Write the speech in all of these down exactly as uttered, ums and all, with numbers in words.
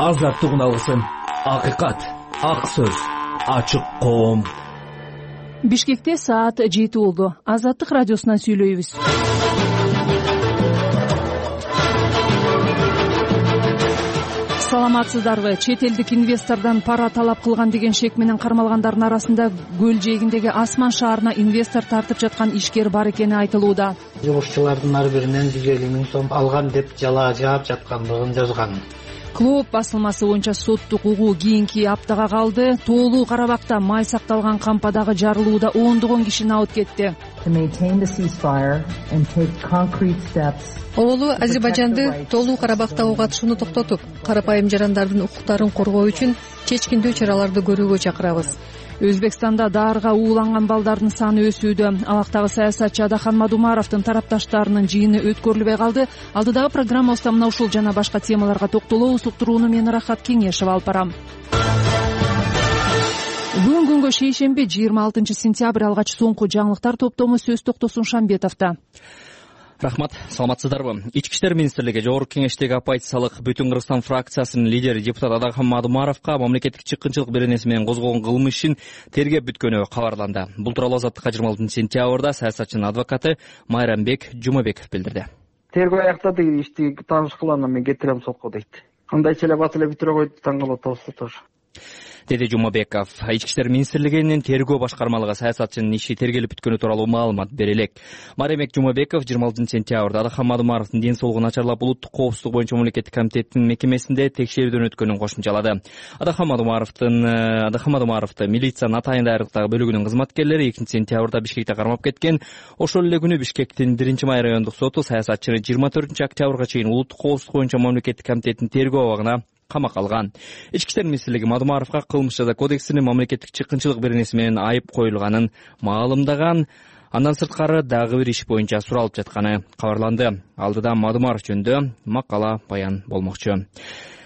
азаттык алсын. Акыйкат, ак сөз, ачык коом. Бишкекте саат жети болду. Азаттык радиосунан сүйлөйбүз. Саламатсыздарбы? Чет элдик инвестордон пара талап кылган деген шек менен кармалгандардын арасында көл жээгиндеги Асман шаарына инвестор тартып жаткан ишкер бар экени айтылууда. Жумушчулардын ар биринен жүз элүү миң сом алган деп жала жаап жаткандыгын жазган. Клуб басылмасы боюнча соттук угуу кийинки аптага калды. Тоолуу Карабакта май сакталган кампадагы жарылууда ондогон киши абыт кетти. Оолу Азербайжанды Тоолуу Карабактагы катышууну токтотуп, карапайым жарандардын укуктарын коргоо үчүн чечкиндүү чараларды көрүүгө чакырабыз. Өзбекстанда даарга ууланган балдардын саны өсүүдө. Алактагы саясатчы Адахан Мадумаровдун тарапташтарынын жыйыны өткөрүлбөй калды. Алдыдагы программабызда мына ушул жана башка темаларга токтолобуз. Уктурууну мен Рахат Кеңешев алып барам. Бүгүн күнгө шейшемби жыйырма алтынчы сентябрь алгач соңку жаңылыктар топтому сөз токтосун Шамбетовдо. Рахмат, саламатсыздарбы? Ички иштер министрлиги Жогорку Кеңештеги оппозициялык Бүтүн Кыргызстан фракциясынын лидери депутат Адахан Мадумаровго мамлекеттик чыккынчылык беренеси менен козголгон кылмыш ишин тергеп бүткөнү кабарланды. Бул тууралуу Азаттыкка жыйырма алтынчы сентябрда саясатчынын адвокаты Майрамбек Жумабеков билдирди. Тергөө аяктады, ишти тааныш кылам, мен кетирем сотко дейт. Андайча эле бат эле бүтүрө койду, таң калып атабыз тоже. Деди Жумабеков. Ички иштер министрлигинин тергөө башкармалыгы саясатчынын иши тергелип бүткөнү тууралуу маалымат бере элек. Майрамбек Жумабеков жыйырма алтынчы сентябрда Адахан Мадумаровдун ден соолугу начарлап улуттук коопсуздук боюнча мамлекеттик комитеттин мекемесинде текшерүүдөн өткөнүн кошумчалады. Адахан Мадумаровдун Адахан Мадумаровду милициянын Атайын дайрыктагы бөлүгүнүн кызматкерлери экинчи сентябрда Бишкекте кармап кеткен. Ошол эле күнү Бишкектин биринчи май райондук соту саясатчыны жыйырма төртүнчү октябрга чейин улуттук коопсуздук боюнча мамлекеттик комитеттин тергөө абагына камакка алган. Ички иштер министрлиги Мадумаровго кылмыш жаза кодексинин мамлекеттик чыккынчылык беренеси менен айып коюлганын маалымдаган. Андан сырткары дагы бир иш боюнча суралып жатканы кабарланды. Алдыда Мадумаров жөнүндө макала баян болмокчу.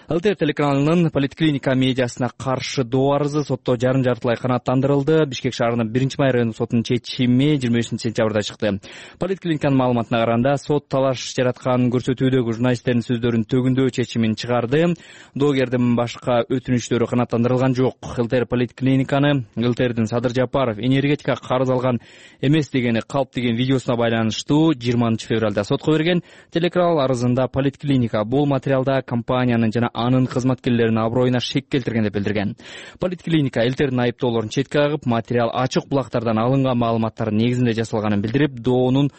ЛТР телеканалынын поликлиника медиасына каршы доо арызы сотто жарым жартылай канааттандырылды. Бишкек шаарынын биринчи май райондук сотунун чечими жыйырма бешинчи сентябрда чыкты. Поликлиниканын маалыматына караганда, сот талаш жараткан көрсөтүүдөгү журналисттердин сөздөрүн төгүндөө чечимин чыгарды. Доогердин башка өтүнүчтөрү канааттандырылган жок. ЛТР поликлиниканы ЛТРдин Садыр Жапаров энергетикага карыз алган эмес дегени калп деген видеосуна байланыштуу жыйырманчы февралда сотко берген. Телеканал арызында поликлиника бул материалда компаниянын жана анын кызматкерлеринин аброюна шек келтирген деп билдирген. Поликлиника ЛТРдин айыптоолорун четке кагып, материал ачык булактардан алынган маалыматтардын негизинде жасалганын билдирип, доонун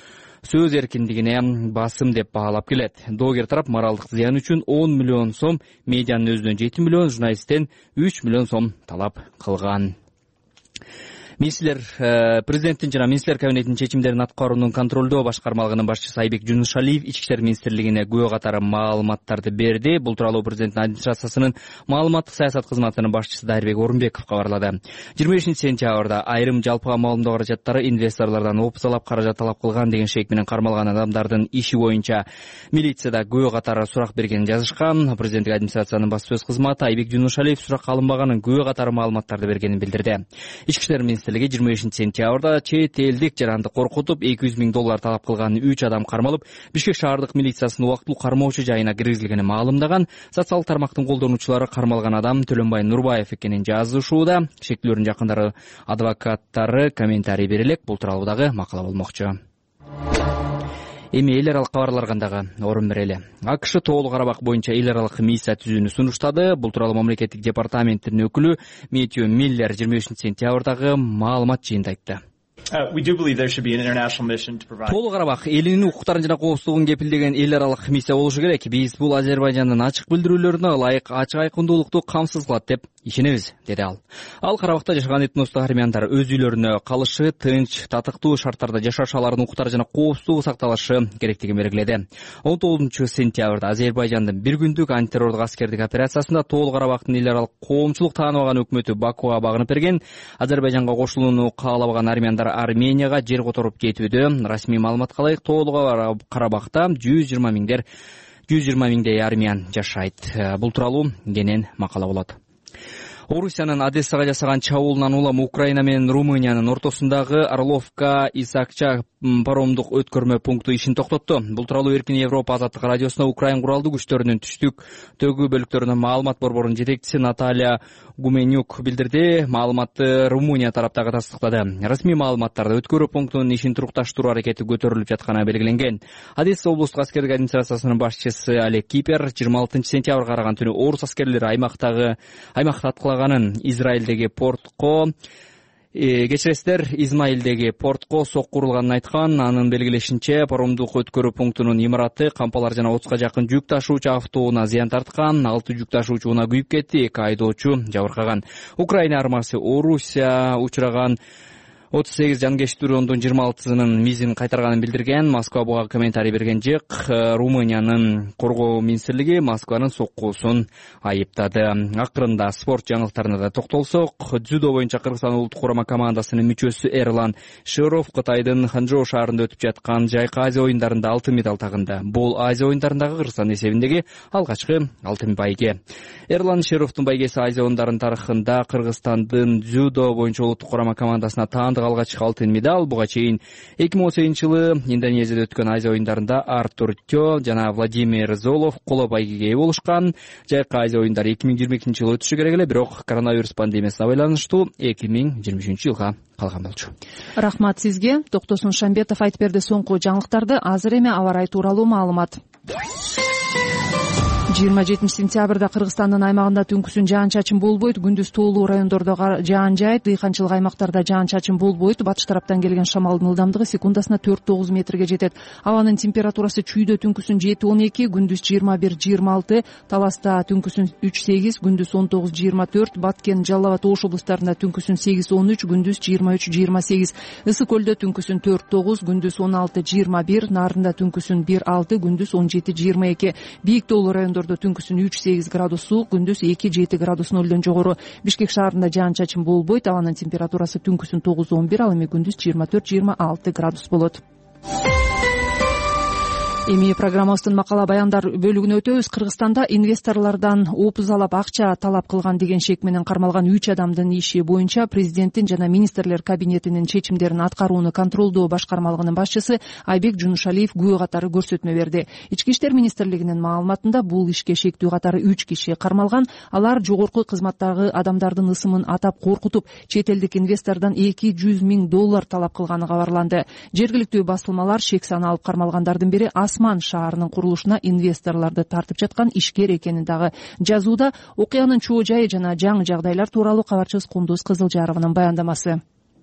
сөз эркиндигине басым деп баалап келет. Доогер тарап моралдык зыян үчүн он миллион сом, медианын өзүнөн жети миллион, журналисттен үч миллион сом талап кылган. Министрлер президенттин жана министрлер кабинетинин чечимдерин аткаруунун контролдоо башкармалыгынын башчысы Айбек Жунушалиев ички иштер министрлигине күбө катары маалыматтарды берди. Бул тууралуу президенттин администрациясынын маалыматтык саясат кызматынын башчысы Дайырбек Орунбеков кабарлады. жыйырма бешинчи сентябрда айрым жалпыга маалымдоо каражаттары инвесторлордон опциялап каражат талап кылган деген шек менен кармалган адамдардын иши боюнча милицияда күбө катары сурак бергенин жазышкан. Президенттик администрациянын басма сөз кызматы Айбек Жунушалиев суракка алынбаганын, күбө катары маалыматтарды бергенин билдирди. Ички иштер жыйырма бешинчи сентябрда чет элдик жаранды коркутуп эки жүз миң доллар талап кылган үч адам кармалып, Бишкек шаардык милициясынын убактылуу кармоочу жайына киргизилгенин маалымдаган. Социалдык тармактын колдонуучулары кармалган адам Төлөнбай Нурбаев экенин жазышууда. Шектүүлөрдүн жакындары, адвокаттары комментарий бере элек. Бул тууралуу дагы макала болмокчу. Эми эл аралык кабарларга дагы орун берели. АКШ Тоолуу Карабак боюнча эл аралык миссия түзүүнү сунуштады. Бул тууралуу мамлекеттик департаменттин өкүлү Метью Миллер жыйырма бешинчи сентябрдагы маалымат жыйынында айтты. Тоолуу Карабак элинин укуктарын жана коопсуздугун кепилдеген эл аралык миссия болушу керек. Биз бул Азербайжандын ачык билдирүүлөрүнө ылайык ачык айкындуулукту камсыз кылат деп ишенебиз, деди ал. Ал Карабакта жашаган этностук армяндар өз үйлөрүнө калышы, тынч, татыктуу шарттарда жашаш, алардын укуктары жана коопсуздугу сакталышы керектигин белгиледи. он тогузунчу сентябрда Азербайжандын бир күндүк антитеррорлук аскердик операциясында Тоолуу Карабактын эл аралык коомчулук тааныбаган өкмөтү Бакуга багынып берген. Азербайжанга кошулууну каалабаган армяндар Арменияга жер которуп кетүүдө. Расмий маалыматка ылайык Тоолуу Карабакта жүз жыйырма миңдер жүз жыйырма миңдей армян жашайт. Бул тууралуу кенен макала болот. Орусиянын Одессага жасаган чабуулунан улам Украина менен Румыниянын ортосундагы Орловка Исакча паромдук өткөрмө пункту ишин токтотту. Бул тууралуу Эркин Европа азаттык радиосуна Украин куралдуу күчтөрүнүн түштүк төгүү бөлүктөрүнүн маалымат борборунун жетекчиси Наталья Гуменюк билдирди. Маалыматты Румыния тараптагы тастыктады. Расмий маалыматтарда өткөрүү пунктунун ишин турукташтыруу аракети көтөрүлүп жатканы белгиленген. Одесса облустук аскердик администрациясынын башчысы Олег Кипер жыйырма алтынчы сентябрга караган түнү орус аскерлери аймактагы аймакта аткылаганын, Израилдеги портко кечиресиздер Измаилдеги портко сокку урулганын айткан. Анын белгилешинче, паромдук өткөрүү пунктунун имараты кампалар жана отузга жакын жүк ташуучу автоунаа зыян тарткан. Алты жүк ташуучу унаа күйүп кетти, эки айдоочу жабыркаган. Украина армиясы Орусия учураган отуз сегиз жанкеч дрондун жыйырма алтысынын мизин кайтарганын билдирген. Москва буга комментарий берген жок. Румыниянын коргоо министрлиги Москванын соккуусун айыптады. Акырында спорт жаңылыктарына да токтолсок, дзюдо боюнча Кыргызстан улуттук курама командасынын мүчөсү Эрлан Шеров Кытайдын Ханчжоу шаарында өтүп жаткан Жайкы Азия оюндарында алтын медаль тагынды. Бул Азия оюндарындагы Кыргызстан эсебиндеги алгачкы алтын байге. Эрлан Шеровдун байгеси Азия оюндарынын тарыхында Кыргызстандын дзюдо боюнча улуттук курама командасына таандык алгачкы алтын медаль. Буга чейин эки миң он сегизинчи жылы Индонезияда өткөн Азия оюндарында Артур Тё жана Владимир Золов коло байгеге ээ болушкан. Жайкы Азия оюндары эки миң жыйырма экинчи жылы өтүшү керек эле, бирок коронавирус пандемиясына байланыштуу эки миң жыйырма үчүнчү жылга калган болчу. Рахмат сизге. Токтосун Шамбетов айтып берди соңку жаңылыктарды. Азыр эми аба ырайы тууралуу маалымат. жыйырма жетинчи сентябрда Кыргызстандын аймагында түнкүсүн жаан-чачын болбойт, күндүз тоолуу райондордо жаан жаайт, дыйканчылык аймактарда жаан-чачын болбойт. Батыш тараптан келген шамалдын ылдамдыгы секундасына төрт тогуз метрге жетет. Абанын температурасы чүйдө түнкүсүн жети он эки, күндүз жыйырма бир жыйырма алты, Таласта түнкүсүн үч сегиз, күндүз он тогуз жыйырма төрт, Баткен, Жалал абад, Ош облустарында түнкүсүн сегиз он үч, күндүз жыйырма үч жыйырма сегиз, Ысык көлдө түнкүсүн төрт тогуз, күндүз он алты жыйырма бир, Нарында түнкүсүн бир алты, күндүз он жети жыйырма эки, Бийик тоолуу райондордо түнкүсүн үч сегиз градус суук, күндүз эки жети градус нөлдөн жогору. Бишкек шаарында жаан-чачын болбойт, абанын температурасы түнкүсүн тогуз он бир, ал эми күндүз жыйырма төрт жыйырма алты градус болот. Эми программабыздын макала баяндар бөлүгүнө өтөбүз. Кыргызстанда инвесторлордон опузалап акча талап кылган деген шек менен кармалган үч адамдын иши боюнча президенттин жана министрлер кабинетинин чечимдерин аткарууну контролдоо башкармалыгынын башчысы Айбек Жунушалиев күбө катары көрсөтмө берди. Ички иштер министрлигинин маалыматында бул ишке шектүү катары үч киши кармалган. Алар жогорку кызматтагы адамдардын ысымын атап коркутуп, чет элдик инвестордон эки жүз миң доллар талап кылганы кабарланды. Жергиликтүү басылмалар шек саналып кармалгандардын бири Асман шаарынын курулушуна инвесторлорду тартып жаткан ишкер экенин дагы жазууда. Окуянын чоо жайы жана жаңы жагдайлар тууралуу кабарчыбыз Кундуз Кызылжарованын баяндамасы.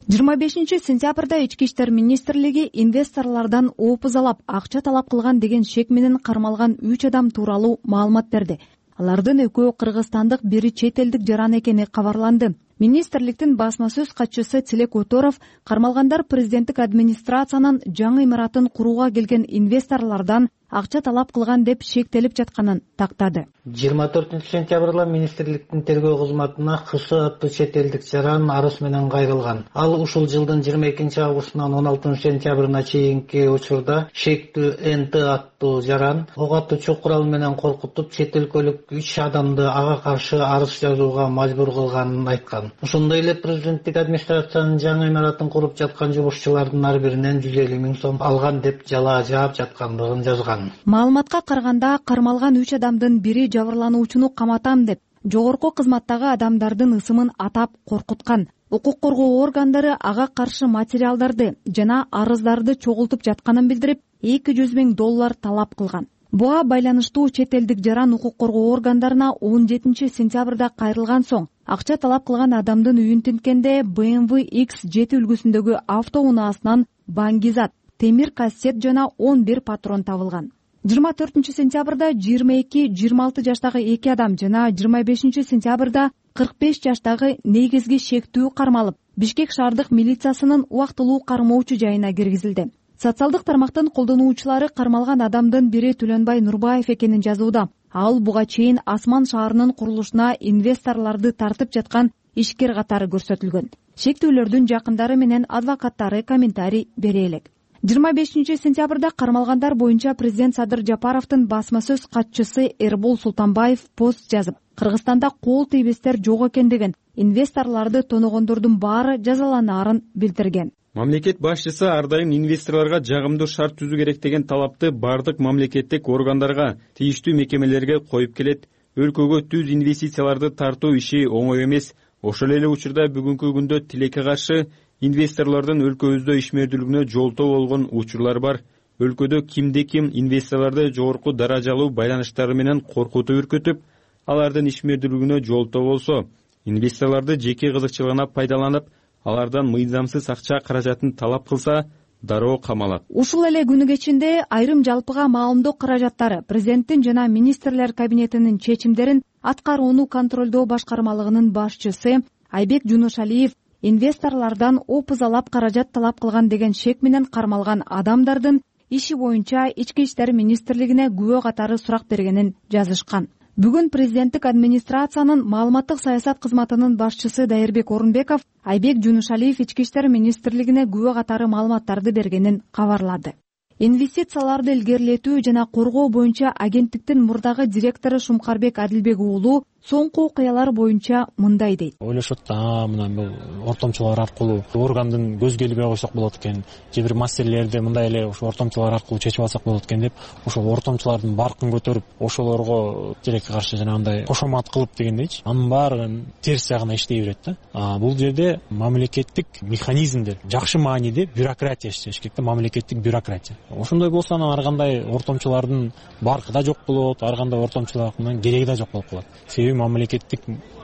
жыйырма бешинчи сентябрда ички иштер министрлиги инвесторлордон опузалап акча талап кылган деген шек менен кармалган үч адам тууралуу маалымат берди. Алардын экөө кыргызстандык, бири чет элдик жаран экени кабарланды. Министрликтин басма сөз катчысы Тилек Оторов кармалгандар президенттик администрациянын жаңы имаратын курууга келген инвесторлордон акча талап кылган деп шектелип жатканын тактады. жыйырма төртүнчү сентябрда министрликтин тергөө кызматына ХС аттуу чет элдик жаран арыз менен кайрылган. Ал ушул жылдын жыйырма экинчи августунан он алтынчы сентябрына чейинки учурда шектүү НТ аттуу жаран ок атуучу курал менен коркутуп, чет өлкөлүк үч адамды ага каршы арыз жазууга мажбур кылганын айткан. Ошондой эле президенттик администрациянын жаңы имаратын куруп жаткан жумушчулардын ар биринен жүз элүү миң сом алган деп жалаа жаап жаткандыгын жазган. Маалыматка караганда, кармалган үч адамдын бири жабырлануучуну каматам деп жогорку кызматтагы адамдардын ысымын атап коркуткан. Укук коргоо органдары ага каршы материалдарды жана арыздарды чогултуп жатканын билдирип, эки жүз миң доллар талап кылган. Буга байланыштуу чет элдик жаран укук коргоо органдарына он жетинчи сентябрда кайрылган соң акча талап кылган адамдын үйүн тинткенде бэ эм вэ икс жети үлгүсүндөгү автоунаасынан баңгизат, темир кассет жана он бир патрон табылган. жыйырма төртүнчү сентябрда жыйырма эки жыйырма алты жаштагы эки адам жана жыйырма бешинчи сентябрда кырк беш жаштагы негизги шектүү кармалып, Бишкек шаардык милициясынын убактылуу кармоочу жайына киргизилди. Социалдык тармактын колдонуучулары кармалган адамдын бири Түлөнбай Нурбаев экенин жазууда. Ал буга чейин Асман шаарынын курулушуна инвесторлорду тартып жаткан ишкер катары көрсөтүлгөн. Шектүүлөрдүн жакындары менен адвокаттары комментарий бере элек. жыйырма бешинчи сентябрда кармалгандар боюнча президент Садыр Жапаровдун басма сөз катчысы Эрбол Султанбаев пост жазып, Кыргызстанда кол тийбестер жок экен деген, инвесторлорду тоногондордун баары жазаланаарын билдирген. Мамлекет башчысы ар дайым инвесторлорго жагымдуу шарт түзүү керек деген талапты бардык мамлекеттик органдарга, тийиштүү мекемелерге коюп келет. Өлкөгө түз инвестицияларды тартуу иши оңой эмес. Ошол эле учурда бүгүнкү күндө тилекке каршы инвесторлордун өлкөбүздө ишмердүүлүгүнө жолтоо болгон учурлар бар. Өлкөдө кимде-ким инвесторлорду жогорку даражалуу байланыштары менен коркутуп үркүтүп, алардын ишмердүүлүгүнө жолтоо болсо, инвесторлорду жеке кызыкчылыгына пайдаланып, алардан мыйзамсыз акча каражатын талап кылса, дароо камалат. Ушул эле күнү кечинде айрым жалпыга маалымдоо каражаттары президенттин жана министрлер кабинетинин чечимдерин аткарууну контролдоо башкармалыгынын башчысы Айбек Жунушалиев инвесторлордон опузалап каражат талап кылган деген шек менен кармалган адамдардын иши боюнча Ички иштер министрлигине күбө катары сурак бергенин жазышкан. Бүгүн президенттик администрациянын маалыматтык саясат кызматынын башчысы Дайырбек Орунбеков Айбек Жунушалиев Ички иштер министрлигине күбө катары маалыматтарды бергенин кабарлады. Инвестицияларды илгерилетүү жана коргоо боюнча агенттиктин мурдагы директору Шумкарбек Адилбек уулу соңку окуялар боюнча мындай дейт. Ойлошот да, мына бул ортомчулар аркылуу органдын көзгө илбей койсок болот экен, же бир маселелерди мындай эле ошо ортомчулар аркылуу чечип алсак болот экен деп, ошол ортомчулардын баркын көтөрүп, ошолорго тилекке каршы жанагындай кошомат кылып дегендейчи, анын баары терс жагына иштей берет да. А бул жерде мамлекеттик механизмдер, жакшы мааниде бюрократия иштеш керек да, мамлекеттик бюрократия. Ошондой болсо анан ар кандай ортомчулардын баркы да жок болот, ар кандай ортомчулардын кереги да жок болуп калат. Себеби мамлекеттик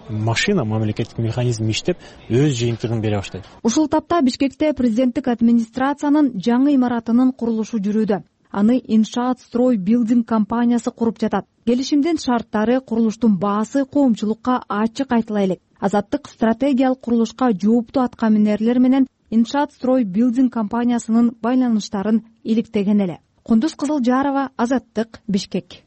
машина, мамлекеттик механизм иштеп, өз жыйынтыгын бере баштайт. Ушул тапта Бишкекте президенттик администрациянын жаңы имаратынын курулушу жүрүүдө. Аны Иншаат Строй Билдинг компаниясы куруп жатат. Келишимдин шарттары, курулуштун баасы коомчулукка ачык айтыла элек. Азаттык стратегиялык курулушка жооптуу аткаминерлер менен Иншаат Строй Билдинг компаниясынын байланыштарын иликтеген эле. Кундуз Кызылжарова, Азаттык, Бишкек.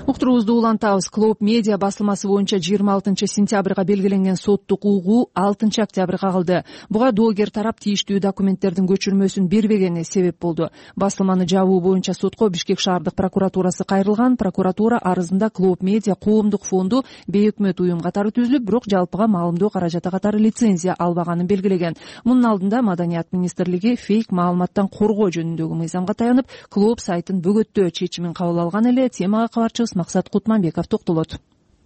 Уктуруубузду улантабыз. Клоп медиа басылмасы боюнча жыйырма алтынчы сентябрга белгиленген соттук угуу алтынчы октябрга калды. Буга доогер тарап тийиштүү документтердин көчүрмөсүн бербегени себеп болду. Басылманы жабуу боюнча сотко Бишкек шаардык прокуратурасы кайрылган. Прокуратура арызында Клоп медиа коомдук фонду бейөкмөт уюм катары түзүлүп, бирок жалпыга маалымдоо каражаты катары лицензия албаганын белгилеген. Мунун алдында Маданият министрлиги фейк маалыматтан коргоо жөнүндөгү мыйзамга таянып, Клоп сайтын бөгөттөө чечимин кабыл алган эле. Темага кабарчыбыз Максат Кутманбеков токтолот.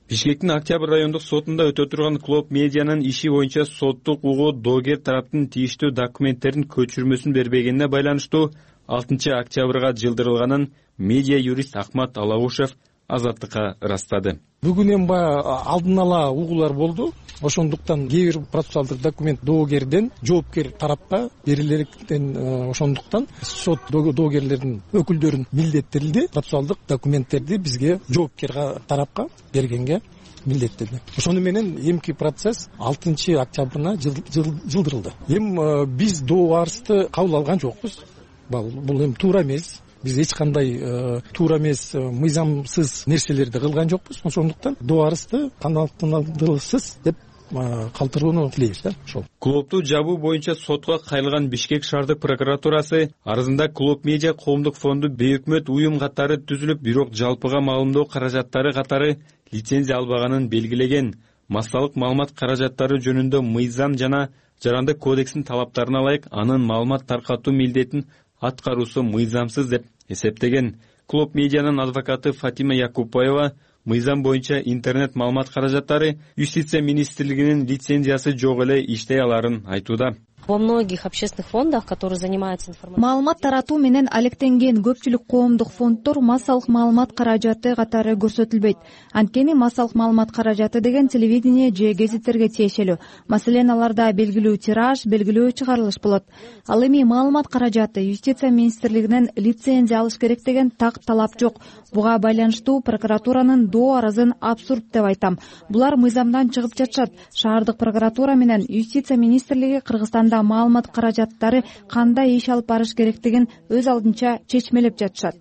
Бишкектин Октябрь райондук сотунда өтө турган Клоп медианын иши боюнча соттук угуу доогер тараптын тийиштүү документтерин көчүрмөсүн бербегенине байланыштуу алтынчы октябрга жылдырылганын медиа юрист Акмат Алаушев Азаттыкка ырастады. Бүгүн эми баягы алдын ала угуулар болду. Ошондуктан кээ бир процессуалдык документ доогерден жоопкер тарапка берилерден, ошондуктан сот доогерлердин өкүлдөрүн милдеттирилди процессуалдык документтерди бизге жоопкер тарапка бергенге милдеттеди. Ошону менен эмки процесс алтынчы октябрына жылдырылды. Эми биз доо арызды кабыл алган жокпуз. Бул эми туура эмес. Биз эч кандай туура эмес, мыйзамсыз нерселерди кылган жокпуз. Ошондуктан доо арызды канааттандыруусуз деп калтырууну тилейбиз да. Ошол. Клопту жабуу боюнча сотко кайрылган Бишкек шаардык прокуратурасы арызында Клоп медиа коомдук фонду бейөкмөт уюм катары түзүлүп, бирок жалпыга маалымдоо каражаттары катары лицензия албаганын белгилеген. Массалык маалымат каражаттары жөнүндө мыйзам жана жарандык кодекстин талаптарына ылайык анын маалымат таркатуу милдетин аткаруусу мыйзамсыз деп эсептеген. Клоп медианын адвокаты Фатима Якупбаева мыйзам боюнча интернет маалымат каражаттары Юстиция министрлигинин лицензиясы жок эле иштей аларын айтууда. Во многих общественных фондах, которые занимаются информацией, маалымат таратуу менен алектенген көпчүлүк коомдук фонддор массалык маалымат каражаты катары көрсөтүлбөйт. Анткени массалык маалымат каражаты деген телевидение же гезиттерге тиешелүү. Маселен, аларда белгилүү тираж, белгилүү чыгарылыш болот. Ал эми маалымат каражаты Юстиция министрлигинен лицензия алыш керек деген так талап жок. Буга байланыштуу прокуратуранын доо арызын абсурд деп айтам. Булар мыйзамдан чыгып жатышат. Шаардык прокуратура менен Юстиция министрлиги Кыргызстанда маалымат каражаттары кандай иш алып барыш керектигин өз алдынча чечмелеп жатышат.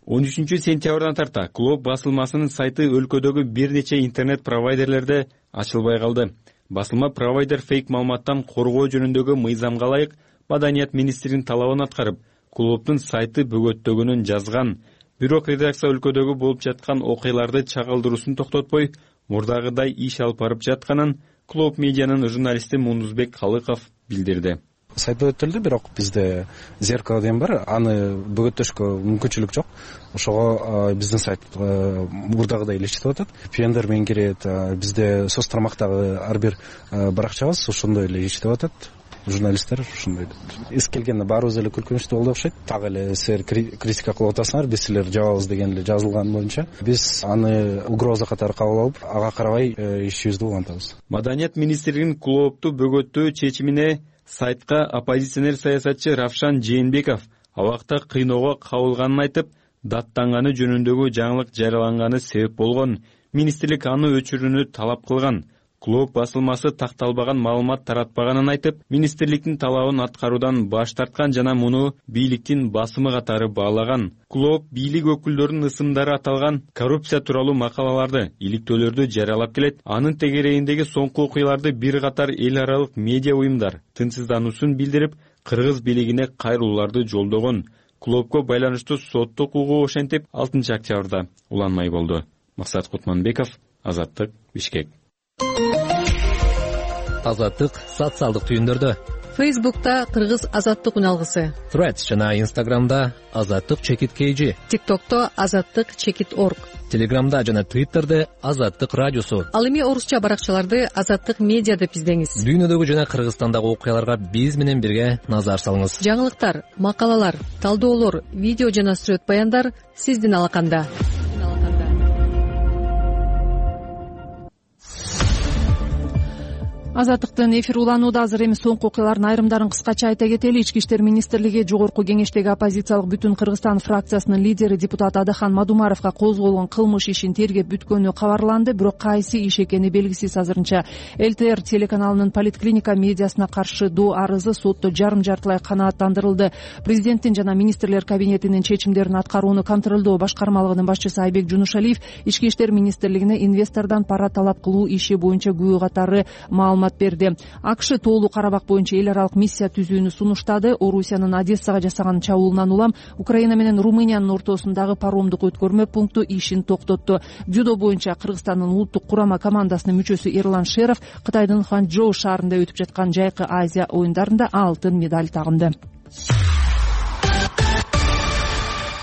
он үчүнчү сентябрдан тарта Клоп басылмасынын сайты өлкөдөгү бир нече интернет провайдерлерде ачылбай калды. Басылма провайдер фейк маалыматтан коргоо жөнүндөгү мыйзамга ылайык Маданият министринин талабын аткарып, клубдун сайты бөгөттөгөнүн жазган. Бирок редакция өлкөдөгү болуп жаткан окуяларды чагылдыруусун токтотпой, мурдагыдай иш алып барып жатканын клуб медианын журналисти Мундузбек Калыков билдирди. Сайт бөгөттөлдү, бирок бизде зеркало деген бар, аны бөгөттөшкө мүмкүнчүлүк жок. Ошого биздин сайт мурдагыдай эле иштеп атат. пи эн ди ар менен кирет, бизде соц тармактагы ар бир баракчабыз ошондой эле иштеп атат. Журналисттер ушундай эс келгенде баарыбыз эле күлкүнүчтүү болду окшойт. Так эле силер критика кылып атасыңар, биз силерди жабабыз деген эле жазылган боюнча биз аны угроза катары кабыл алып, ага карабай ишибизди улантабыз. Маданият министрлигинин клубду бөгөттөө чечимине сайтка оппозиционер саясатчы Равшан Жээнбеков абакта кыйноого кабылганын айтып, даттанганы жөнүндөгү жаңылык жарыяланганы себеп болгон. Министрлик аны өчүрүүнү талап кылган. Клуб басылмасы такталбаган маалымат таратпаганын айтып, министрликтин талабын аткаруудан баш тарткан жана муну бийликтин басымы катары баалаган. Клуб бийлик өкүлдөрүнүн ысымдары аталган коррупция тууралуу макалаларды, иликтөөлөрдү жарыялап келет. Анын тегерегиндеги соңку окуяларды бир катар эл аралык медиа уюмдар тынчсыздануусун билдирип, кыргыз бийлигине кайрылууларды жолдогон. Клубко байланыштуу соттук угуу ошентип алтынчы октябрда уланмай болду. Максат Кутманбеков, Азаттык, Бишкек. Азаттык социалдык түйүндөрдө. Фейсбукта Кыргыз Азаттык үналгысы, Threads жана Инстаграмда Азаттык чекит kg, ТикТокто Азаттык чекит орг, Телеграмда жана Твиттерде Азаттык радиосу. Ал эми орусча баракчаларды Азаттык медиа деп издеңиз. Дүйнөдөгү жана Кыргызстандагы окуяларга биз менен бирге назар салыңыз. Жаңылыктар, макалалар, талдоолор, видео жана сүрөт баяндар сиздин алаканда. Азаттыктын эфир уланууда. Азыр эми соңку окуялардын айрымдарын кыскача айта кетели. Ички иштер министрлиги жогорку кеңештеги оппозициялык Бүтүн Кыргызстан фракциясынын лидери депутат Адахан Мадумаровго козголгон кылмыш ишин тергеп бүткөнү кабарланды, бирок кайсы иш экени белгисиз азырынча. эл тэ эр телеканалынын Политклиника медиасына каршы доо арызы сотто жарым жартылай канааттандырылды. Президенттин жана министрлер кабинетинин чечимдерин аткарууну контролдоо башкармалыгынын башчысы Айбек Жунушалиев ички иштер министрлигине инвестордон пара талап кылуу иши боюнча күбө катары маалымат берди. АКШ тоолуу Карабак боюнча эл аралык миссия түзүүнү сунуштады. Орусиянын Одессага жасаган чабуулунан улам Украина менен Румыниянын ортосундагы паромдук өткөрмө пункту ишин токтотту. Дзюдо боюнча Кыргызстандын улуттук курама командасынын мүчөсү Эрлан Шеров Кытайдын Ханчжоу шаарында өтүп жаткан жайкы Азия оюндарында алтын медаль тагынды.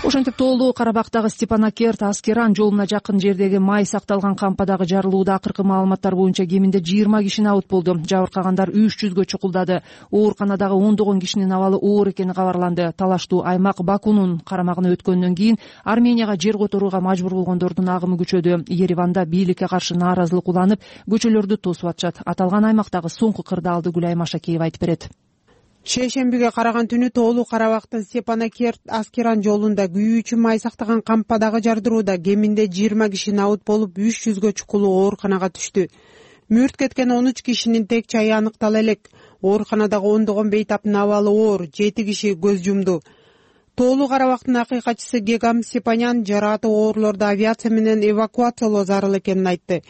Ошентип тоолуу Карабактагы Степанакерт Аскеран жолуна жакын жердеги май сакталган кампадагы жарылууда акыркы маалыматтар боюнча кеминде жыйырма киши абут болду. Жабыркагандар үч жүзгө чукулдады. Ооруканадагы ондогон кишинин абалы оор экени кабарланды. Талаштуу аймак Бакунун карамагына өткөндөн кийин Арменияга жер которууга мажбур болгондордун агымы күчөдү. Ереванда бийликке каршы нааразылык уланып, көчөлөрдү тосуп атышат. Аталган аймактагы соңку кырдаалды Гүлай Машакеева айтып берет. Шейшембиге караган түнү тоолуу Карабактын Степанакерт Аскеран жолунда күйүүчү май сактаган кампадагы жардырууда кеминде жыйырма киши абут болуп, үч жүзгө чукулуу ооруканага түштү. Мүрт кеткен он үч кишинин тек чайы аныктала элек. Ооруканадагы ондогон бейтаптын абалы оор, жети киши көз жумду. Тоолуу Карабактын акыйкатчысы Гегам Степанян жарааты оорлорду авиация менен эвакуациялоо зарыл экенин айтты.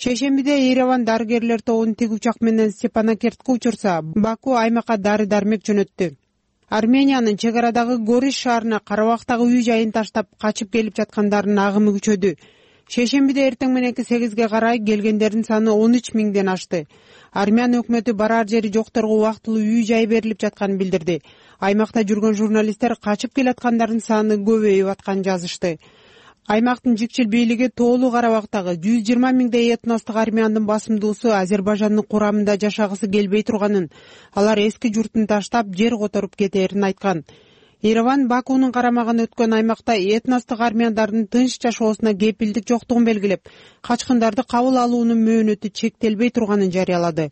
Шейшембиде Ереван дарыгерлер тобун тик учак менен Степанакертке учурса, Баку аймакка дары-дармек жөнөттү. Армениянын чек арадагы Гориш шаарына Карабактагы үй жайын таштап качып келип жаткандардын агымы күчөдү. Шейшембиде эртең мененки сегизге карай келгендердин саны он үч миңден ашты. Армян өкмөтү барар жери жокторго убактылуу үй жай берилип жатканын билдирди. Аймакта жүргөн журналисттер качып келаткандардын саны көбөйүп атканын жазышты. Аймактын жикчил бийлиги тоолуу Карабактагы жүз жыйырма миңдей этностук армяндын басымдуусу Азербайжандын курамында жашагысы келбей турганын, алар эски журтун таштап жер которуп кетээрин айткан. Ереван Бакунун карамагына өткөн аймакта этностук армяндардын тынч жашоосуна кепилдик жоктугун белгилеп, качкындарды кабыл алуунун мөөнөтү чектелбей турганын жарыялады.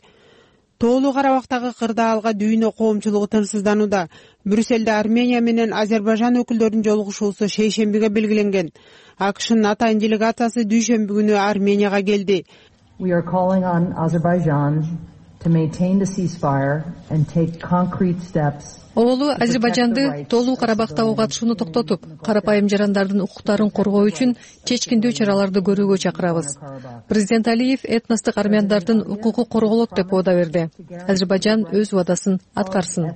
Тоолуу Карабактагы кырдаалга дүйнө коомчулугу тынчсызданууда. Брюссельде Армения менен Азербайжан өкүлдөрүнүн жолугушуусу шейшембиге белгиленген. АКШнын атайын делегациясы дүйшөмбү күнү Арменияга келди. We are calling on Azerbaijan to maintain the ceasefire and take concrete steps. Оолу Азербайжанды тоолуу Карабактагы катышууну токтотуп, карапайым жарандардын укуктарын коргоо үчүн чечкиндүү чараларды көрүүгө чакырабыз. Президент Алиев этностук армяндардын укугу корголот деп убада берди. Азербайжан өз убадасын аткарсын.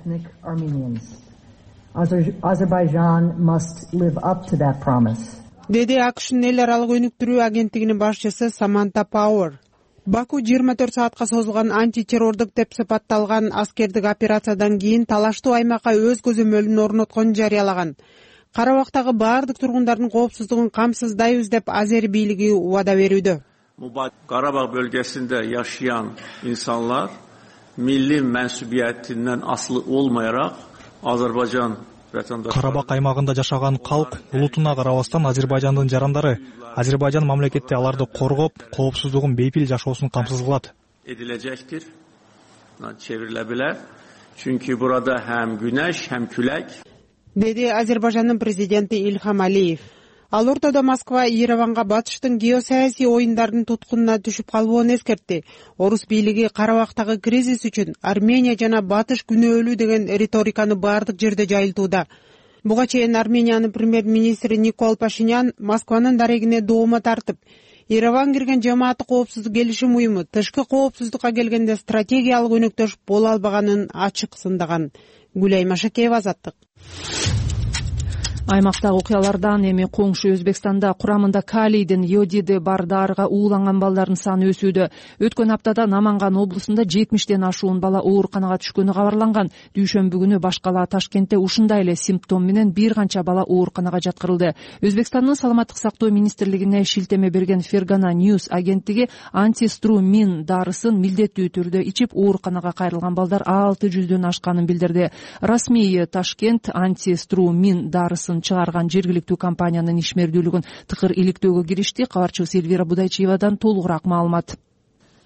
Azerbaijan must live up to that promise. Деди АКШнын эл аралык өнүктүрүү агенттигинин башчысы Саманта Пауэр. Баку жыйырма төрт саатка созулган антитеррордук деп сыпатталган аскердик операциядан кийин талаштуу аймакка өз көзөмөлүн орнотконун жарыялаган. Карабактагы баардык тургундардын коопсуздугун камсыздайбыз деп Азер бийлиги убада берүүдө. Karabağ bölgesinde yaşayan insanlar milli mensubiyetinden aslı olmayarak Azerbaycan vatandaşları. Карабак аймагында жашаган калк улутуна карабастан Азербайжандын жарандары Азербайжан мамлекети аларды коргоп, коопсуздугун бейпил жашоосун камсыз кылат. Edilecektir. Çevrilebilir. Çünkü burada hem güneş hem külek. Dedi Azerbayjandын президенти Ильхам Алиев. Ал ортодо Москва Ереванга батыштын геосаясий оюндарынын туткунуна түшүп калбоон эскертти. Орус бийлиги Карабактагы кризис үчүн Армения жана Батыш күнөөлүү деген риториканы баардык жерде жайылтууда. Буга чейин Армениянын премьер-министри Никол Пашинян Москванын дарегине доомо тартып, Ереван кирген жамааттык коопсуздук келишим уюму тышкы коопсуздукка келгенде стратегиялык өнөктөш боло албаганын ачык сындаган. Гүлай Машакеева, Азаттык. Аймактагы окуялардан эми коңшу Өзбекстанда курамында калийдин йодиди бар дарыга ууланган балдардын саны өсүүдө. Өткөн аптада Наманган облусунда жетимиштен ашуун бала ооруканага түшкөнү кабарланган. Дүйшөмбү күнү башкала Ташкентте ушундай эле симптом менен бир канча бала ооруканага жаткырылды. Өзбекстандын саламаттык сактоо министрлигине шилтеме берген Фергана News агенттиги антиструмин дарысын милдеттүү түрдө ичип ооруканага кайрылган балдар алты жүздөн ашканын билдирди. Расмий Ташкент антиструмин дарысын чыгарган жергиликтүү компаниянын ишмердүүлүгүн тыкыр иликтөөгө киришти. Кабарчыбыз Эльвира Будайчиевадан толугураак маалымат.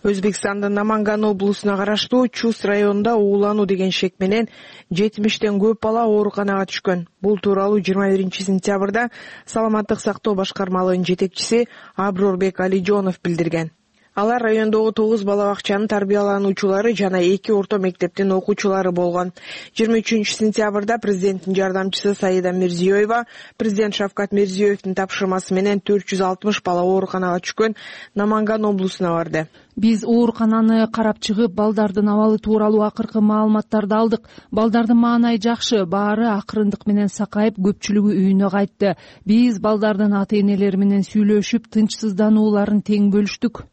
Өзбекстандын Наманган облусуна караштуу Чус районунда уулануу деген шек менен жетимиштен көп бала ооруканага түшкөн. Бул тууралуу жыйырма биринчи сентябрда саламаттык сактоо башкармалыгынын жетекчиси Аброрбек Алижонов билдирген. Алар райондогу тогуз бала бакчанын тарбиялануучулары жана эки орто мектептин окуучулары болгон. жыйырма үчүнчү сентябрда президенттин жардамчысы Саида Мирзиёева президент Шавкат Мирзиёевдин тапшырмасы менен төрт жүз алтымыш бала ооруканага түшкөн Наманган облусуна барды. Биз оорукананы карап чыгып, балдардын абалы тууралуу акыркы маалыматтарды алдык. Балдардын маанайы жакшы, баары акырындык менен сакайып, көпчүлүгү үйүнө кайтты. Биз балдардын ата-энелери менен сүйлөшүп, тынчсызданууларын тең бөлүштүк,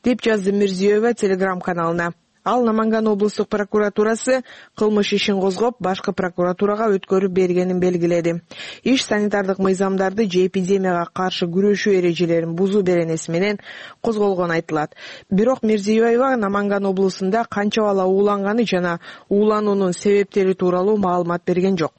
деп жазды Мирзиёева Телеграм каналына. Ал Наманган облустук прокуратурасы кылмыш ишин козгоп, башкы прокуратурага өткөрүп бергенин белгиледи. Иш санитардык мыйзамдарды же эпидемияга каршы күрөшүү эрежелерин бузуу беренеси менен козголгону айтылат. Бирок Мирзиёева Наманган облусунда канча бала ууланганы жана уулануунун себептери тууралуу маалымат берген жок.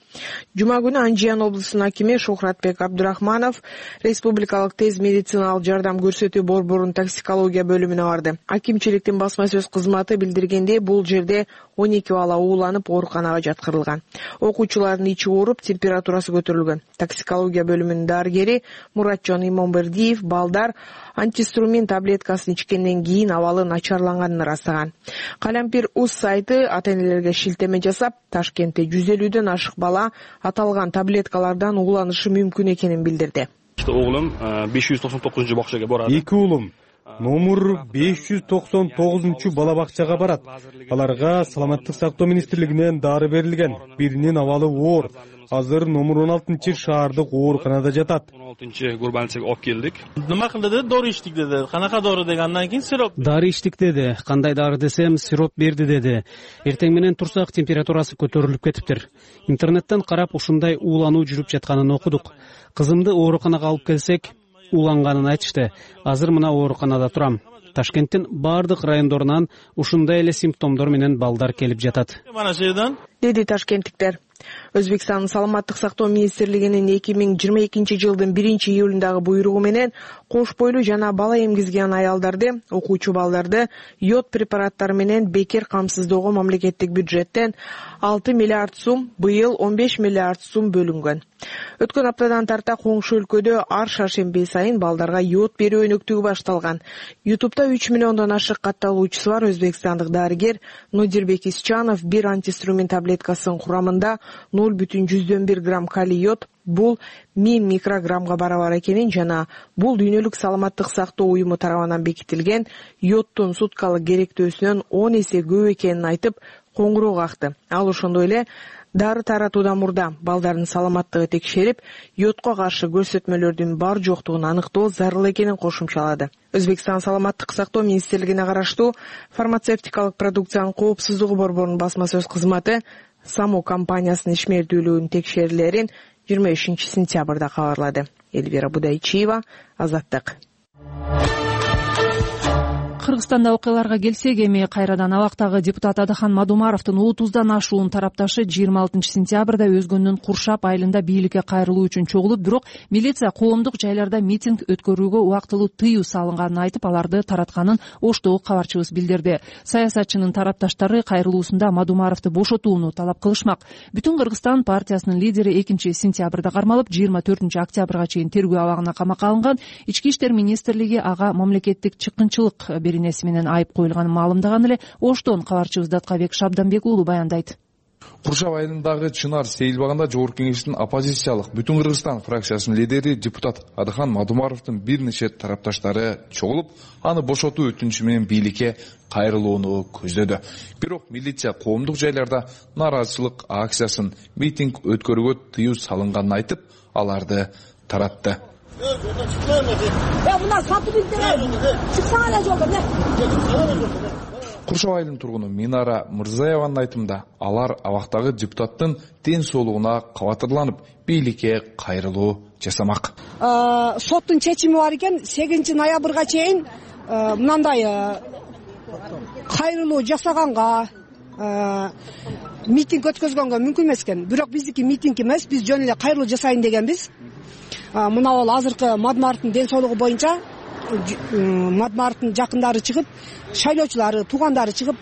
Жума күнү Анжиян облусунун акими Шухратбек Абдурахманов республикалык тез медициналык жардам көрсөтүү борборунун токсикология бөлүмүнө барды. Акимчиликтин басма сөз кызматы билдиргенде, бул жерде он эки бала ууланып ооруканага жаткырылган. Окуучулардын ичи ооруп, температурасы көтөрүлгөн. Токсикология бөлүмүнүн дарыгери Муратжон Имонбердиев балдар антиструмин таблеткасын ичкенден кийин абалы начарланганын ырастаган. Калампир Уз сайты ата-энелерге шилтеме жасап, Ташкентте жүз элүүдөн ашык бала аталган таблеткалардан ууланышы мүмкүн экенин билдирди. Оглум беш жүз токсон тогузунчу бакчага барат. Эки уулум номер беш жүз токсон тогузунчу бала бакчага барат. Аларга саламаттык сактоо министрлигинен дары берилген. Биринин абалы оор. Азыр номер он алтынчы шаардык ооруканада жатат. он алтынчы гурбанцага алып келдик. Нема кылды деди? Дори ичтик деди. Канака дори дегенден кийин сироп. Дары ичтик деди. Кандай дары десем, сироп берди деди. Эртең менен турсак температурасы көтөрүлүп кетиптир. Интернеттен карап ушундай уулануу жүрүп жатканын окудук. Кызымды ооруканага алып келсек, ууланганын айтышты. Азыр мына ооруканада турам. Ташкенттин бардык райондорунан ушундай эле симптомдор менен балдар келип жатат, деди ташкенттиктер. Өзбекстандын саламаттык сактоо министрлигинин эки миң жыйырма экинчи жылдын биринчи июлундагы буйругу менен кош бойлуу жана бала эмгизген аялдарды, окуучу балдарды йод препараттары менен бекер камсыздоого мамлекеттик бюджеттен алты миллиард сум, быйыл он беш миллиард сум бөлүнгөн. Өткөн аптадан тарта коңшу өлкөдө ар шаршемби сайын балдарга йод берүү өнөктүгү башталган. Ютубта үч миллиондон ашык катталуучусу бар өзбекстандык дарыгер Нодирбек Исчанов бир антиструмин таблеткасынын курамында ноль бүтүн жүздөн бир грамм калий йод, бул миң микрограммга барабар экенин жана бул дүйнөлүк саламаттык сактоо уюму тарабынан бекитилген йодтун суткалык керектөөсүнөн он эсе көп экенин айтып коңгуроо какты. Ал ошондой эле дары таратуудан мурда балдардын саламаттыгы текшерип, йодко каршы көрсөтмөлөрдүн бар жоктугун аныктоо зарыл экенин кошумчалады. Өзбекстан саламаттык сактоо министрлигине караштуу фармацевтикалык продукциянын коопсуздугу борборунун басма сөз кызматы САМУ компаниясынын ишмердүүлүгүнүн текшерүүлөрүн жыйырма бешинчи сентябрда кабарлады. Эльвира Будайчиева, Азаттык. Кыргызстанда окуяларга келсек, эми кайрадан абактагы депутат Адахан Мадумаровдун отуздан ашуун тарапташы жыйырма алтынчы сентябрда өзгөндүн Куршап айылында бийликке кайрылуу үчүн чогулуп, бирок милиция коомдук жайларда митинг өткөрүүгө убактылуу тыюу салынганын айтып, аларды таратканын Оштогу кабарчыбыз билдирди. Саясатчынын тарапташтары кайрылуусунда Мадумаровду бошотууну талап кылышмак. Бүтүн Кыргызстан партиясынын лидери экинчи сентябрда кармалып, жыйырма төртүнчү октябрга чейин тергөө абагына камакка алынган. Ички иштер министрлиги ага мамлекеттик чыккынчылык беренеси менен айып коюлганын маалымдаган эле. Оштон кабарчыбыз Даткабек Шабданбек уулу баяндайт. Куршап айылындагы Чынар сейилбагында Жогорку Кеңештин оппозициялык Бүтүн Кыргызстан фракциясынын лидери депутат Адахан Мадумаровдун бир нече тарапташтары чогулуп, аны бошотуу өтүнүчү менен бийликке кайрылууну көздөдү. Бирок милиция коомдук жайларда нааразычылык акциясын, митинг өткөрүүгө тыюу салынганын айтып, аларды таратты. Куршап айылынын тургуну Минара Мырзаеванын айтымында, алар абактагы депутаттын ден соолугуна кабатырланып, бийликке кайрылуу жасамак. Соттун чечими бар экен, сегизинчи ноябрга чейин мындай кайрылуу жасаганга, митинг өткөзгөнгө мүмкүн эмес экен. Бирок биздики митинг эмес, биз жөн эле кайрылуу жасайын дегенбиз. Мына ал азыркы Мадумаровдун ден соолугу боюнча Мадумаровдун жакындары чыгып, шайлоочулары, туугандары чыгып,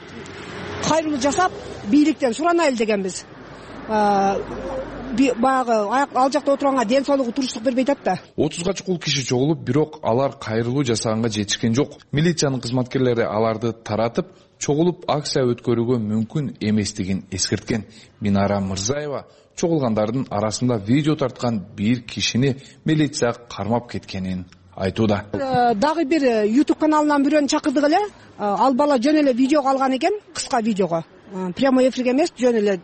кайрылуу жасап, бийликтен суранайлы дегенбиз. Баягы ал жакта отурганга ден соолугу туруштук бербей атат да. отузга чукул киши чогулуп, бирок алар кайрылуу жасаганга жетишкен жок. Милициянын кызматкерлери аларды таратып, чогулуп акция өткөрүүгө мүмкүн эместигин эскерткен. Минара Мырзаева чогулгандардын арасында видео тарткан бир кишини милиция кармап кеткенин айтууда. Дагы бир YouTube каналынан бирөөнү чакырдык эле. Ал бала жөн эле видео алган экен, кыска видеого. Прямой эфирге эмес, жөн эле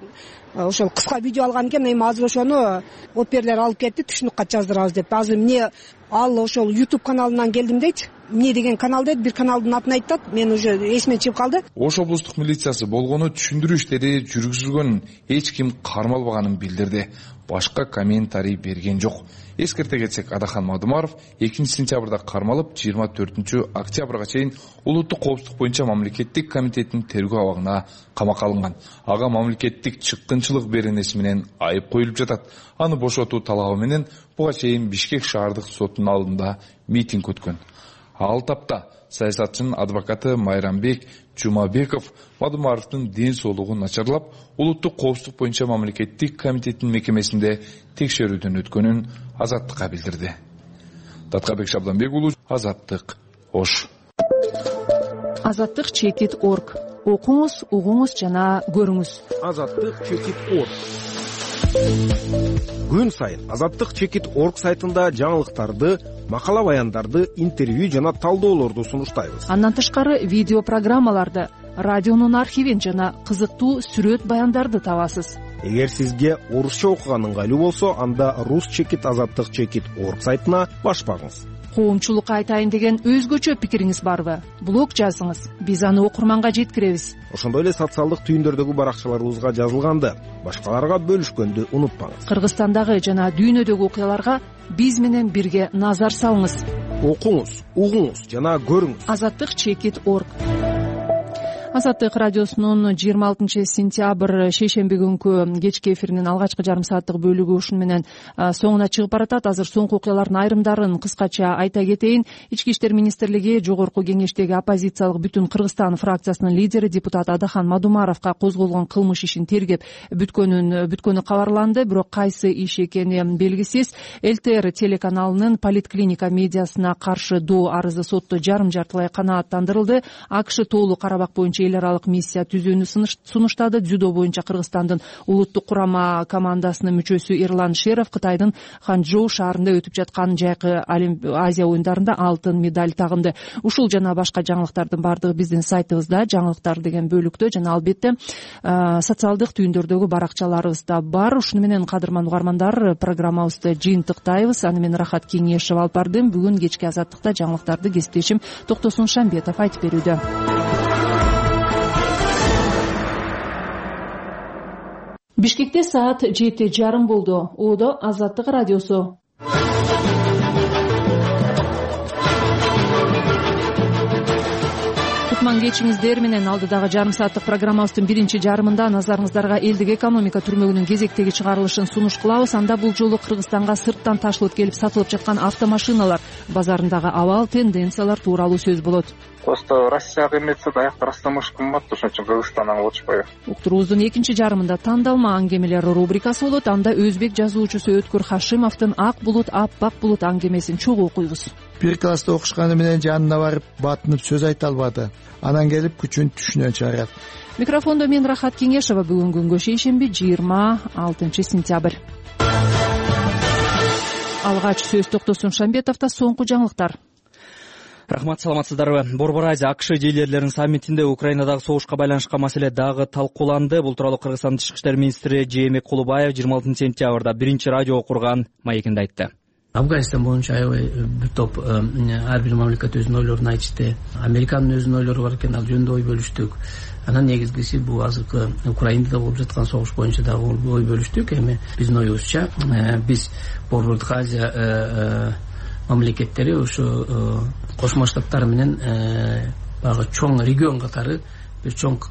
ошол кыска видео алган экен. Эми азыр ошону оперлер алып кетти, түшүнүк кат жаздырабыз деп. Азыр эмне ал ошол YouTube каналынан келдим дейт. Эмне деген канал дейт, бир каналдын атын айтат. Мен уже эсиме чыгып калды. Ош облустук милициясы болгону түшүндүрүү иштери жүргүзүлгөнүн, эч ким кармалбаганын билдирди. Башка комментарий берген жок. Эскерте кетсек, Адахан Мадумаров экинчи сентябрда кармалып, жыйырма төртүнчү октябрга чейин улуттук коопсуздук боюнча мамлекеттик комитеттин тергөө абагына камакка алынган. Ага мамлекеттик чыккынчылык беренеси менен айып коюлуп жатат. Аны бошотуу талабы менен буга чейин Бишкек шаардык сотунун алдында митинг өткөн. Ал тапта саясатчынын адвокаты Майрамбек Жумабеков Мадумаровдун ден соолугу начарлап, улуттук коопсуздук боюнча мамлекеттик комитеттин мекемесинде текшерүүдөн өткөнүн Азаттыкка билдирди. Даткабек Шабданбек уулу, Азаттык, Ош. Азаттык чекит точка орг. Окуңуз, угуңуз жана көрүңүз. Азаттык чекит точка орг. Күн сайын Азаттык чекит точка орг сайтында жаңылыктарды, макала баяндарды, интервью жана талдоолорду сунуштайбыз. Андан тышкары видео программаларды, радионун архивин жана кызыктуу сүрөт баяндарды табасыз. Эгер сизге орусча окуган ыңгайлуу болсо, анда рус чекит азаттык чекит точка орг сайтына баш багыңыз. Коомчулукка айтайын деген өзгөчө пикириңиз барбы? Блог жазыңыз, биз аны окурманга жеткиребиз. Ошондой эле социалдык түйүндөрдөгү баракчаларыбызга жазылганды, башкаларга бөлүшкөндү унутпаңыз. Кыргызстандагы жана дүйнөдөгү окуяларга биз менен бирге назар салыңыз. Окуңуз, угуңуз жана көрүңүз. Азаттык чекит точка орг. Азаттык радиосунун жыйырма алтынчы сентябрь шейшемби күнкү кечки эфиринин алгачкы жарым сааттык бөлүгү ушуну менен соңуна чыгып баратат. Азыр соңку окуялардын айрымдарын кыскача айта кетейин. Ички иштер министрлиги Жогорку Кеңештеги оппозициялык Бүтүн Кыргызстан фракциясынын лидери депутат Адахан Мадумаровго козголгон кылмыш ишин тергеп бүткөнүн бүткөнү кабарланды. Бирок кайсы иш экени белгисиз. ЛТР телеканалынын Политклиника медиасына каршы доо арызы сотто жарым жартылай канааттандырылды. АКШ Тоолуу Карабак боюнча эл аралык миссия түзүүнү сунуштады. Дзюдо боюнча Кыргызстандын улуттук курама командасынын мүчөсү Эрлан Шеров Кытайдын Ханчжоу шаарында өтүп жаткан жайкы Азия оюндарында алтын медаль тагынды. Ушул жана башка жаңылыктардын баардыгы биздин сайтыбызда, жаңылыктар деген бөлүктө жана албетте социалдык түйүндөрдөгү баракчаларыбызда бар. Ушуну менен кадырман угармандар, программабызды жыйынтыктайбыз. Аны мен Рахат Кеңешев алып бардым. Бүгүн кечки азаттыкта жаңылыктарды кесиптешим Токтосун Шамбетов айтып берүүдө. Бишкекте саат жети жарым болду. Оодо Азаттык радиосу. Кутман кечиңиздер менен. Алдыдагы жарым сааттык программабыздын биринчи жарымында назарыңыздарга элдик экономика түрмөгүнүн кезектеги чыгарылышын сунуш кылабыз. Анда бул жолу Кыргызстанга сырттан ташылып келип сатылып жаткан автомашиналар базарындагы абал, тенденциялар тууралуу сөз болот. Просто Россияга эметсе даякта Растамыш кымбат, ошон үчүн Кыргызстандан алып атышпайбы. Уктуруубуздун экинчи жарымында тандалма аңгемелер рубрикасы болот. Анда өзбек жазуучусу Өткөр Хашимовдун Ак булут, аппак булут аңгемесин чогуу окуйбуз. Бир класста окушканы менен жанына барып батынып сөз айта албады. Анан келип күчүн түшүнөн чыгарат. Микрофондо мен Рахат Кеңешева. Бүгүн күнгө шейшемби жыйырма алтынчы сентябрь. Алгач сөз Токтосун Шамбетовдо. Соңку жаңылыктар. Рахмат, саламатсыздарбы? Борбор Азия АКШ лидерлеринин саммитинде Украинадагы согушка байланышкан маселе дагы талкууланды. Бул тууралуу Кыргызстандын тышкы иштер министри Жээнбек Кулубаев жыйырма алтынчы сентябрда биринчи радио окурган маегинде айтты. Афганистан боюнча аябай бир топ ар бир мамлекет өзүнүн ойлорун айтышты. Американын өзүнүн ойлору бар экен, ал жөнүндө ой бөлүштүк. Анан негизгиси бул азыркы Украинада болуп жаткан согуш боюнча дагы ой бөлүштүк. Эми биздин оюбузча биз Борбордук Азия мамлекеттери ушу Кошмо Штаттар менен баягы чоң регион катары бир чоң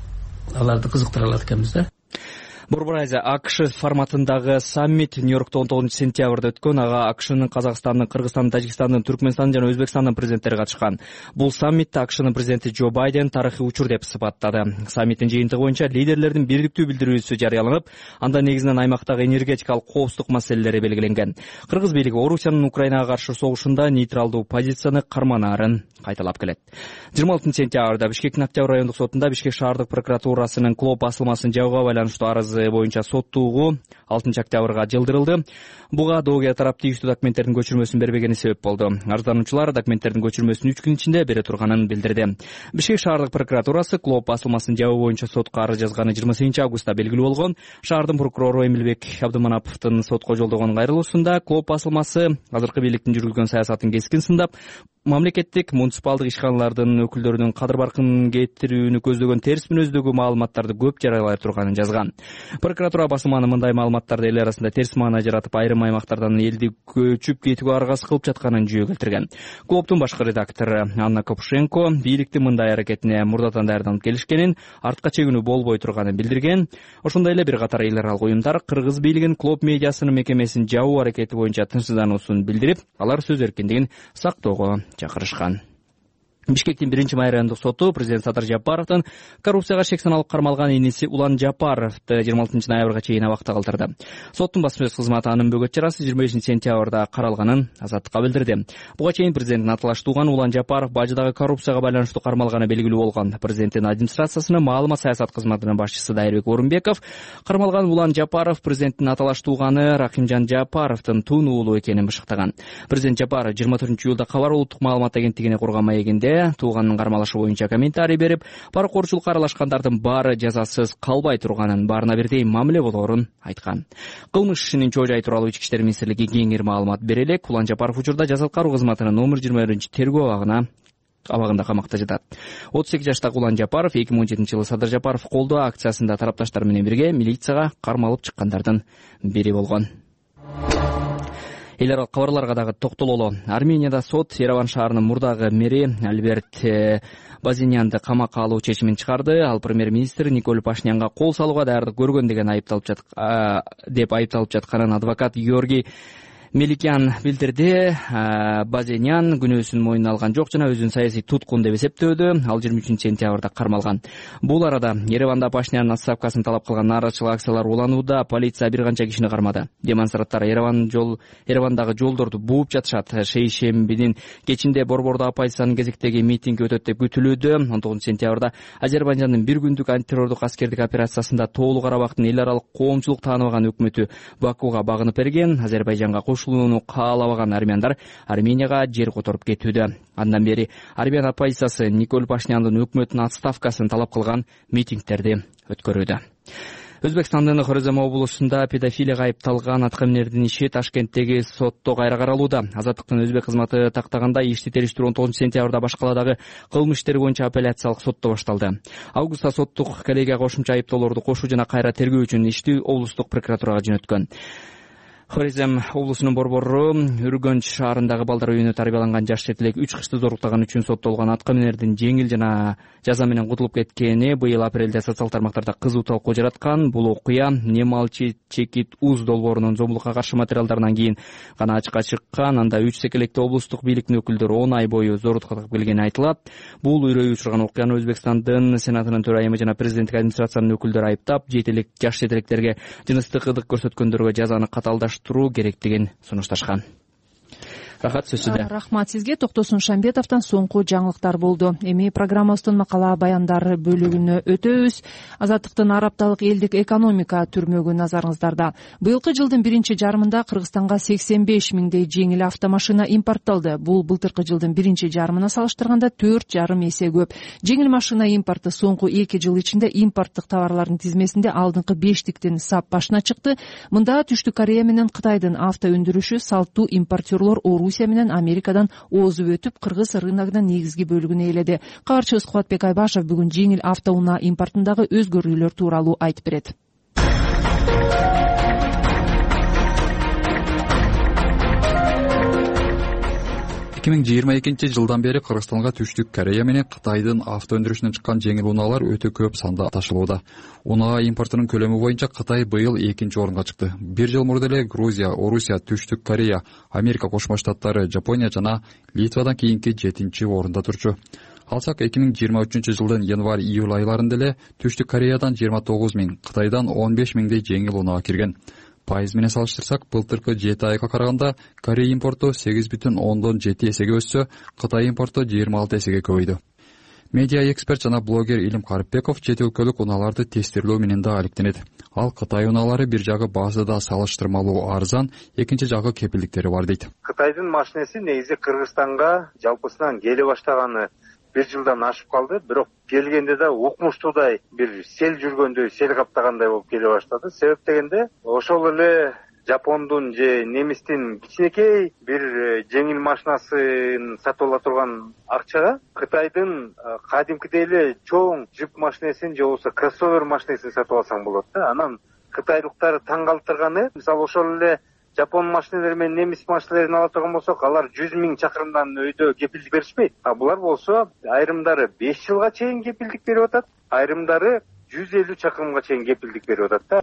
аларды кызыктыра алат экенбиз да. Борбор Азия АКШ форматындагы саммит Нью-Йоркто он тогузунчу сентябрда өткөн. Ага АКШнын, Казакстандын, Кыргызстандын, Тажикстандын, Түркмөнстандын жана Өзбекстандын президенттери катышкан. Бул саммитте АКШнын президенти Джо Байден тарыхый учур деп сыпаттады. Саммиттин жыйынтыгы боюнча лидерлердин бириктүү билдирүүсү жарыяланып, анда негизинен аймактагы энергетикалык коопсуздук маселелери белгиленген. Кыргыз бийлиги Орусиянын Украинага каршы согушунда нейтралдуу позицияны карманаарын кайталап келет. жыйырма алтынчы сентябрда Бишкектин Октябрь райондук сотунда Бишкек шаардык прокуратурасынын клоп басылмасын жабууга байланыштуу арызы боюнча соттуугу алтынчы октябрга жылдырылды. Буга доогер тарап тийиштүү документтердин көчүрмөсүн бербегени себеп болду. Арыздануучулар документтердин көчүрмөсүн үч күн ичинде бере турганын билдирди. Бишкек шаардык прокуратурасы клоп басылмасын жабуу боюнча сотко арыз жазганы жыйырма сегизинчи августта белгилүү болгон. Шаардын прокурору Эмилбек Абдыманаповдун сотко жолдогон кайрылуусунда клоп басылмасы азыркы бийликтин жүргүзгөн саясатын кескин сындап, мамлекеттик муниципалдык ишканалардын өкүлдөрүнүн кадыр баркын кетирүүнү көздөгөн терс мүнөздөгү маалыматтарды көп жарыялай турганын жазган. Прокуратура басылманы мындай маалыматтарды эл арасында терс маана жаратып, айрым аймактардан элди көчүп кетүүгө аргасыз кылып жатканын жүйө келтирген. Клоптун башкы редактору Анна Копушенко бийликтин мындай аракетине мурдатан даярданып келишкенин, артка чегинүү болбой турганын билдирген. Ошондой эле бир катар эл аралык уюмдар Кыргыз бийлигин клоп медиасынын мекемесин жабуу аракети боюнча тынчсыздануусун билдирип, алар сөз эркиндигин сактоого чакырышкан. Бишкектин биринчи май райондук соту президент Садыр Жапаровдун коррупцияга шек саналып кармалган иниси Улан Жапаровду жыйырма алтынчы ноябрга чейин абакта калтырды. Соттун басма сөз кызматы анын бөгөт чарасы жыйырма бешинчи сентябрда каралганын Азаттыкка билдирди. Буга чейин президенттин аталаш тууганы Улан Жапаров бажыдагы коррупцияга байланыштуу кармалганы белгилүү болгон. Президенттин администрациясынын маалымат саясат кызматынын башчысы Дайырбек Орунбеков кармалган Улан Жапаров президенттин аталаш тууганы Рахимжан Жапаровдун тун уулу экенин бышыктаган. Президент Жапаров жыйырма төртүнчү июлда Кабар улуттук маалымат агенттигине курган маегинде тууганын кармалышы боюнча комментарий берип, паракорчулукка аралашкандардын баары жазасыз калбай турганын, баарына бирдей мамиле болоорун айткан. Кылмыш ишинин чоо жайы тууралуу Ички иштер министрлиги кеңири маалымат бере элек. Улан Жапаров учурда жаза аткаруу кызматынын номер жыйырма биринчи тергөө абагына абагында камакта жатат. отуз эки жаштагы Улан Жапаров эки миң он жетинчи жылы Садыр Жапаров колдоо акциясында тарапташтар менен бирге милицияга кармалып чыккандардын бири болгон. Эл аралык кабарларга дагы токтололу. Арменияда сот Ереван шаарынын мурдагы мэри Альберт Базинянды камакка алуу чечимин чыгарды. Ал премьер-министр Николь Пашинянга кол салууга даярдык көргөн деген айыпталып жат деп айыпталып жатканын адвокат Георгий Меликян билдирди. Базенян күнөөсүн мойнуна алган жок жана өзүн саясий туткун деп эсептөөдө. Ал жыйырма үчүнчү сентябрда кармалган. Бул арада Ереванда Пашинянын отставкасын талап кылган нааразычылык акциялар уланууда. Полиция бир канча кишини кармады. Демонстранттар Ереван жол Еревандагы жолдорду бууп жатышат. Шейшембинин кечинде Борбордо оппозициянын кезектеги митинги өтөт деп күтүлүүдө. он тогузунчу сентябрда Азербайжандын бир күндүк антитеррордук аскердик операциясында Тоолуу Карабактын эл аралык коомчулук тааныбаган өкмөтү Бакууга багынып берген. Азербайжанга кошулууну каалабаган армяндар Арменияга жер которуп кетүүдө. Андан бери армян оппозициясы Николь Пашиняндын өкмөтүнүн отставкасын талап кылган митингдерди өткөрүүдө. Өзбекстандын Хорезм облусунда педофилияга айыпталган аткаминердин иши Ташкенттеги сотто кайра каралууда. Азаттыктын өзбек кызматы тактагандай ишти териштирүү он тогузунчу сентябрда башкаладагы кылмыш иштери боюнча апелляциялык сотто башталды. Августта соттук коллегия кошумча айыптоолорду кошуу жана кайра тергөө үчүн ишти облустук прокуратурага жөнөткөн. Хорезм облусунун борбору Үргөнч шаарындагы балдар үйүнө тарбияланган жаш четилек үч кышты зоруктаган үчүн соттолгон аткаминердин жеңил жана жаза менен кутулуп кеткени быйыл апрелде социалдык тармактарда кызуу талкуу жараткан. Бул окуя Не молчи чекит уз долбоорунун зомбулукка каршы материалдарынан кийин гана ачыкка чыккан. Анда үч секелекти облустук бийликтин өкүлдөрү он ай бою зорлукка тартып келгени айтылат. Бул үрөйү учурган окуяны Өзбекстандын Сенатынын төрайымы жана президенттик администрациянын өкүлдөрү айыптап, жетелек жаш жетелектерге жыныстык ылдык көрсөткөндөргө жазаны каталдаш керектигин сунушташкан. Рахат сөзүдө. Рахмат сизге. Токтосун Шамбетовдон соңку жаңылыктар болду. Эми программабыздын макала баяндар бөлүгүнө өтөбүз. Азаттыктын Араб апталык элдик экономика түрмөгү назарыңыздарда. Быйылкы жылдын биринчи жарымында Кыргызстанга сексен беш миңдей жеңил автомашина импортталды. Бул былтыркы жылдын биринчи жарымына салыштырганда төрт жарым эсе көп. Жеңил машина импорты соңку эки жыл ичинде импорттук товарлардын тизмесинде алдыңкы бештиктин сап башына чыкты. Мында Түштүк Корея менен Кытайдын авто өндүрүшү салттуу импортерлор Орусия менен Америкадан озуп өтүп, кыргыз рыногунун негизги бөлүгүн ээледи. Кабарчыбыз Кубатбек Айбашев бүгүн жеңил автоунаа импортундагы өзгөрүүлөр тууралуу айтып берет. эки миң жыйырма экинчи жылдан бери Кыргызстанга Түштүк Корея менен Кытайдын авто өндүрүшүнөн чыккан жеңил унаалар өтө көп санда ташылууда. Унаа импортунун көлөмү боюнча Кытай быйыл экинчи орунга чыкты. Бир жыл мурда эле Грузия, Орусия, Түштүк Корея, Америка Кошмо Штаттары, Жапония жана Литвадан кийинки жетинчи орунда турчу. Алсак эки миң жыйырма үчүнчү жылдын январь-июль айларында эле Түштүк Кореядан жыйырма тогуз миң, Кытайдан он беш миңдей жеңил унаа кирген. Пайыз менен салыштырсак, былтыркы жети айга караганда Корея импорту сегиз бүтүн ондон жети эсеге өссө, Кытай импорту жыйырма алты эсеге көбөйдү. Медиа эксперт жана блогер Илим Карипбеков чет өлкөлүк унааларды тестирлөө менен да алектенет. Ал Кытай унаалары бир жагы базада салыштырмалуу арзан, экинчи жагы кепилдиктери бар дейт. Кытайдын машинеси негизи Кыргызстанга жалпысынан келе баштаганы бир жылдан ашып калды, бирок келгенде да укмуштуудай бир сел жүргөндөй, сел каптагандай болуп келе баштады. Себеп дегенде ошол эле Жапондун же немистин кичинекей бир жеңил машинасын сатып ала турган акчага Кытайдын кадимкидей эле чоң жүк машинесин же болбосо кроссовер машинесин сатып алсаң болот да. Анан кытайлыктар таң калтырганы, мисалы ошол эле Жапон машинелери менен немис машинелерин ала турган болсок, алар жүз миң чакырымдан өйдө кепилдик беришпейт. А булар болсо айрымдары беш жылга чейин кепилдик берип атат, айрымдары жүз элүү чакырымга чейин кепилдик берип атат да.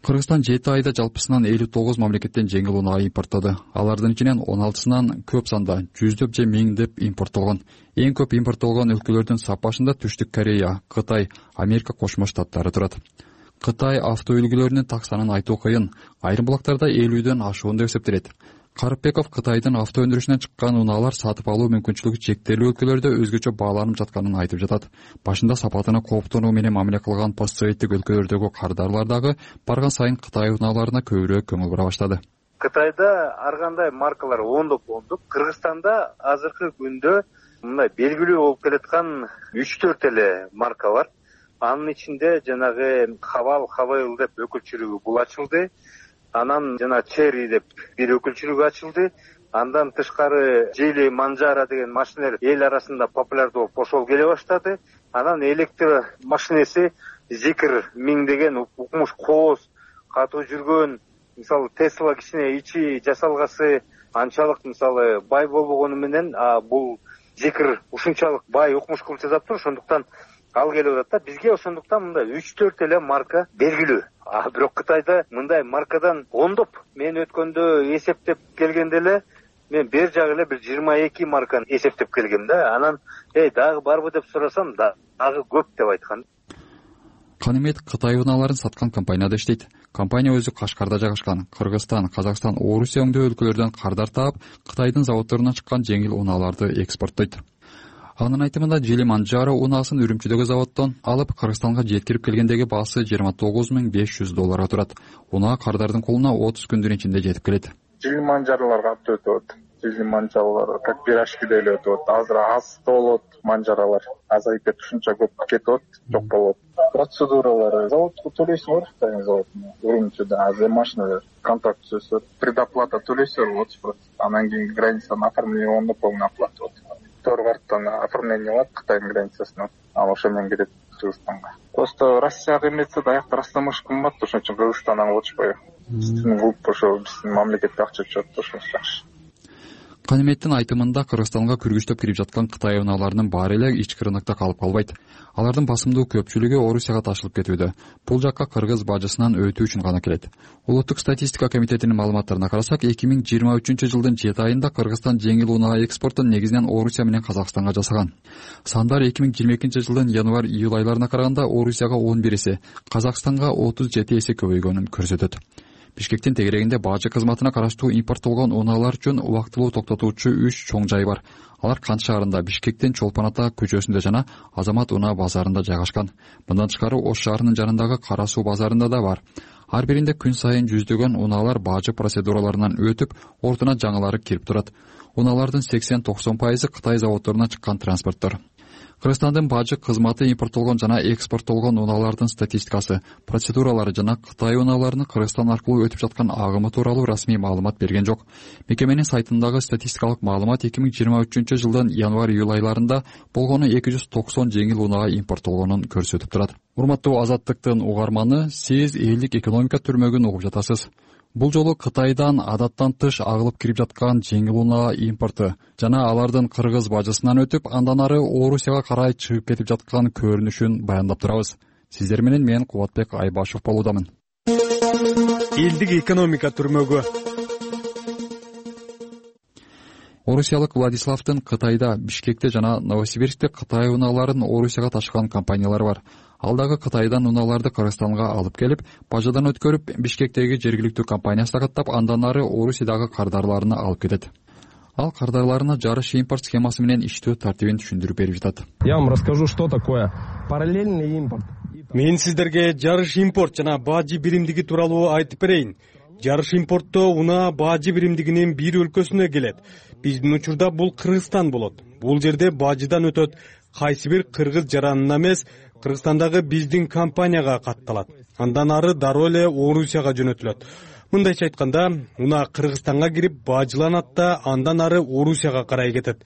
Кыргызстан жети айда жалпысынан элүү тогуз мамлекеттен жеңил унаа импорттоду. Алардын ичинен он алтысынан көп санда жүздөп же миңдеп импорттолгон. Эң көп импорттолгон өлкөлөрдүн сап башында Түштүк Корея, Кытай, Америка Кошмо Штаттары турат. Кытай авто үлгүлөрүнүн так санын айтуу кыйын. Айрым булактарда элүүдөн ашуун деп эсептелет. Карипбеков Кытайдын авто өндүрүшүнөн чыккан унаалар сатып алуу мүмкүнчүлүгү чектелүү өлкөлөрдө өзгөчө бааланып жатканын айтып жатат. Башында сапатына кооптонуу менен мамиле кылган постсоветтик өлкөлөрдөгү кардарлар дагы барган сайын Кытай унааларына көбүрөөк көңүл бура баштады. Кытайда ар кандай маркалар ондоп ондоп, Кыргызстанда азыркы күндө мындай белгилүү болуп келаткан үч төрт эле марка бар. Анын ичинде жанагы Хавал, Хавейл деп өкүлчүлүгү бул ачылды. Анан жана Черри деп бир өкүлчүлүгү ачылды. Андан тышкары Жили, Манжара деген машинелер эл арасында популярдуу болуп ошол келе баштады. Анан электр машинеси Зикр миң деген укмуш кооз катуу жүргөн, мисалы Тесла кичине ичи жасалгасы анчалык мисалы бай болбогону менен, а бул Зикр ушунчалык бай укмуш кылып жасап тур, ошондуктан ал келип атат да. Бизге ошондуктан мындай үч төрт эле марка белгилүү. А бирок Кытайда мындай маркадан ондоп, мен өткөндө эсептеп келгенде эле мен бер жагы эле бир жыйырма эки марканы эсептеп келгем да. Анан эй дагы барбы деп сурасам, дагы көп деп айткан. Канимет Кытай унааларын саткан компанияда иштейт. Компания өзү Кашкарда жайгашкан. Кыргызстан, Казакстан, Орусия өңдөө өлкөлөрдөн кардар таап, Кытайдын заводдорунан чыккан жеңил унааларды экспорттойт. Анын айтымында Жили Манджаро унаасын Үрүмчүдөгү заводдон алып Кыргызстанга жеткирип келгендеги баасы жыйырма тогуз миң беш жүз долларга турат. Унаа кардардын колуна отуз күндүн ичинде жетип келет. Жили манжараларга катуу өтөт. Жили манжаралар как пирожкиде эле өтөт. Азыр аз болот манжаралар. Азайып кетип ушунча көп кетет, жок болот. Процедуралары заводко төлөйсүңөр, Кытайдын заводуна. Үрүмчүдө азыр машина контракт түзөсүңөр, предоплата төлөйсүңөр отуз процент. Анан кийин границаны оформление полный оплата болот. Второй карттан оформление болот Кытайдын границасына. Ал ошо менен кирет Кыргызстанга. Просто Россияга эметсе аякта растамыш кымбат, ошон үчүн Кыргызстандан алышпайбы. Биздин клуб ошо биздин мамлекетке акча түшөт, ошо жакшы. Каниметтин айтымында Кыргызстанга күргүчтөп кирип жаткан Кытай унааларынын баары эле ички рынокто калып калбайт. Алардын басымдуу көпчүлүгү Орусияга ташылып кетүүдө. Бул жакка кыргыз бажысынан өтүү үчүн гана келет. Улуттук статистика комитетинин маалыматтарына карасак, эки миң жыйырма үчүнчү жылдын жети айында Кыргызстан жеңил унаа экспортун негизинен Орусия менен Казакстанга жасаган. Сандар эки миң жыйырма экинчи жылдын январь-июль айларына караганда Орусияга он бир эсе, Казакстанга отуз жети эсе көбөйгөнүн көрсөтөт. Бишкектин тегерегинде бажы кызматына караштуу импорттолгон унаалар үчүн убактылуу токтотуучу үч чоң жай бар. Алар Кант шаарында, Бишкектин Чолпон Ата көчөсүндө жана Азамат унаа базарында жайгашкан. Мындан тышкары Ош шаарынын жанындагы Кара Суу базарында да бар. Ар биринде күн сайын жүздөгөн унаалар бажы процедураларынан өтүп, ортуна жаңылары кирип турат. Унаалардын сексен токсон пайызы Кытай заводдорунан чыккан транспорттор. Кыргызстандын бажы кызматы импорттолгон жана экспорттолгон унаалардын статистикасы, процедуралары жана Кытай унааларынын Кыргызстан аркылуу өтүп жаткан агымы тууралуу расмий маалымат берген жок. Мекеменин сайтындагы статистикалык маалымат эки миң жыйырма үчүнчү жылдын январь-июль айларында болгону эки жүз токсон жеңил унаа импорттолгонун көрсөтүп турат. Урматтуу Азаттыктын угарманы, сиз элдик экономика түрмөгүн угуп жатасыз. Бул жолу Кытайдан адаттан тыш агылып кирип жаткан жеңил унаа импорту жана алардын кыргыз бажысынан өтүп, андан ары Орусияга карай чыгып кетип жаткан көрүнүшүн баяндап турабыз. Сиздер менен мен Кубатбек Айбашев болуудамын. Элдик экономика түрмөгү. Орусиялык Владиславдын Кытайда, Бишкекте жана Новосибирскте Кытай унааларын Орусияга ташыган компаниялар бар. Ал дагы Кытайдан унааларды Кыргызстанга алып келип, бажадан өткөрүп, Бишкектеги жергиликтүү компаниясына каттап, андан ары Орусиядагы кардарларына алып кетет. Ал кардарларына жарыш импорт схемасы менен иштөө тартибин түшүндүрүп берип жатат. Я вам расскажу, что такое параллельный импорт. Мен сиздерге жарыш импорт жана бажы биримдиги тууралуу айтып берейин. Жарыш импортто унаа бажы биримдигинин бир өлкөсүнө келет. Биздин учурда бул Кыргызстан болот. Бул жерде бажыдан өтөт. Кайсы бир кыргыз жаранына эмес, Кыргызстандагы биздин компанияга катталат. Андан ары дароо эле Орусияга жөнөтүлөт. Мындайча айтканда, унаа Кыргызстанга кирип бажыланат да андан ары Орусияга карай кетет.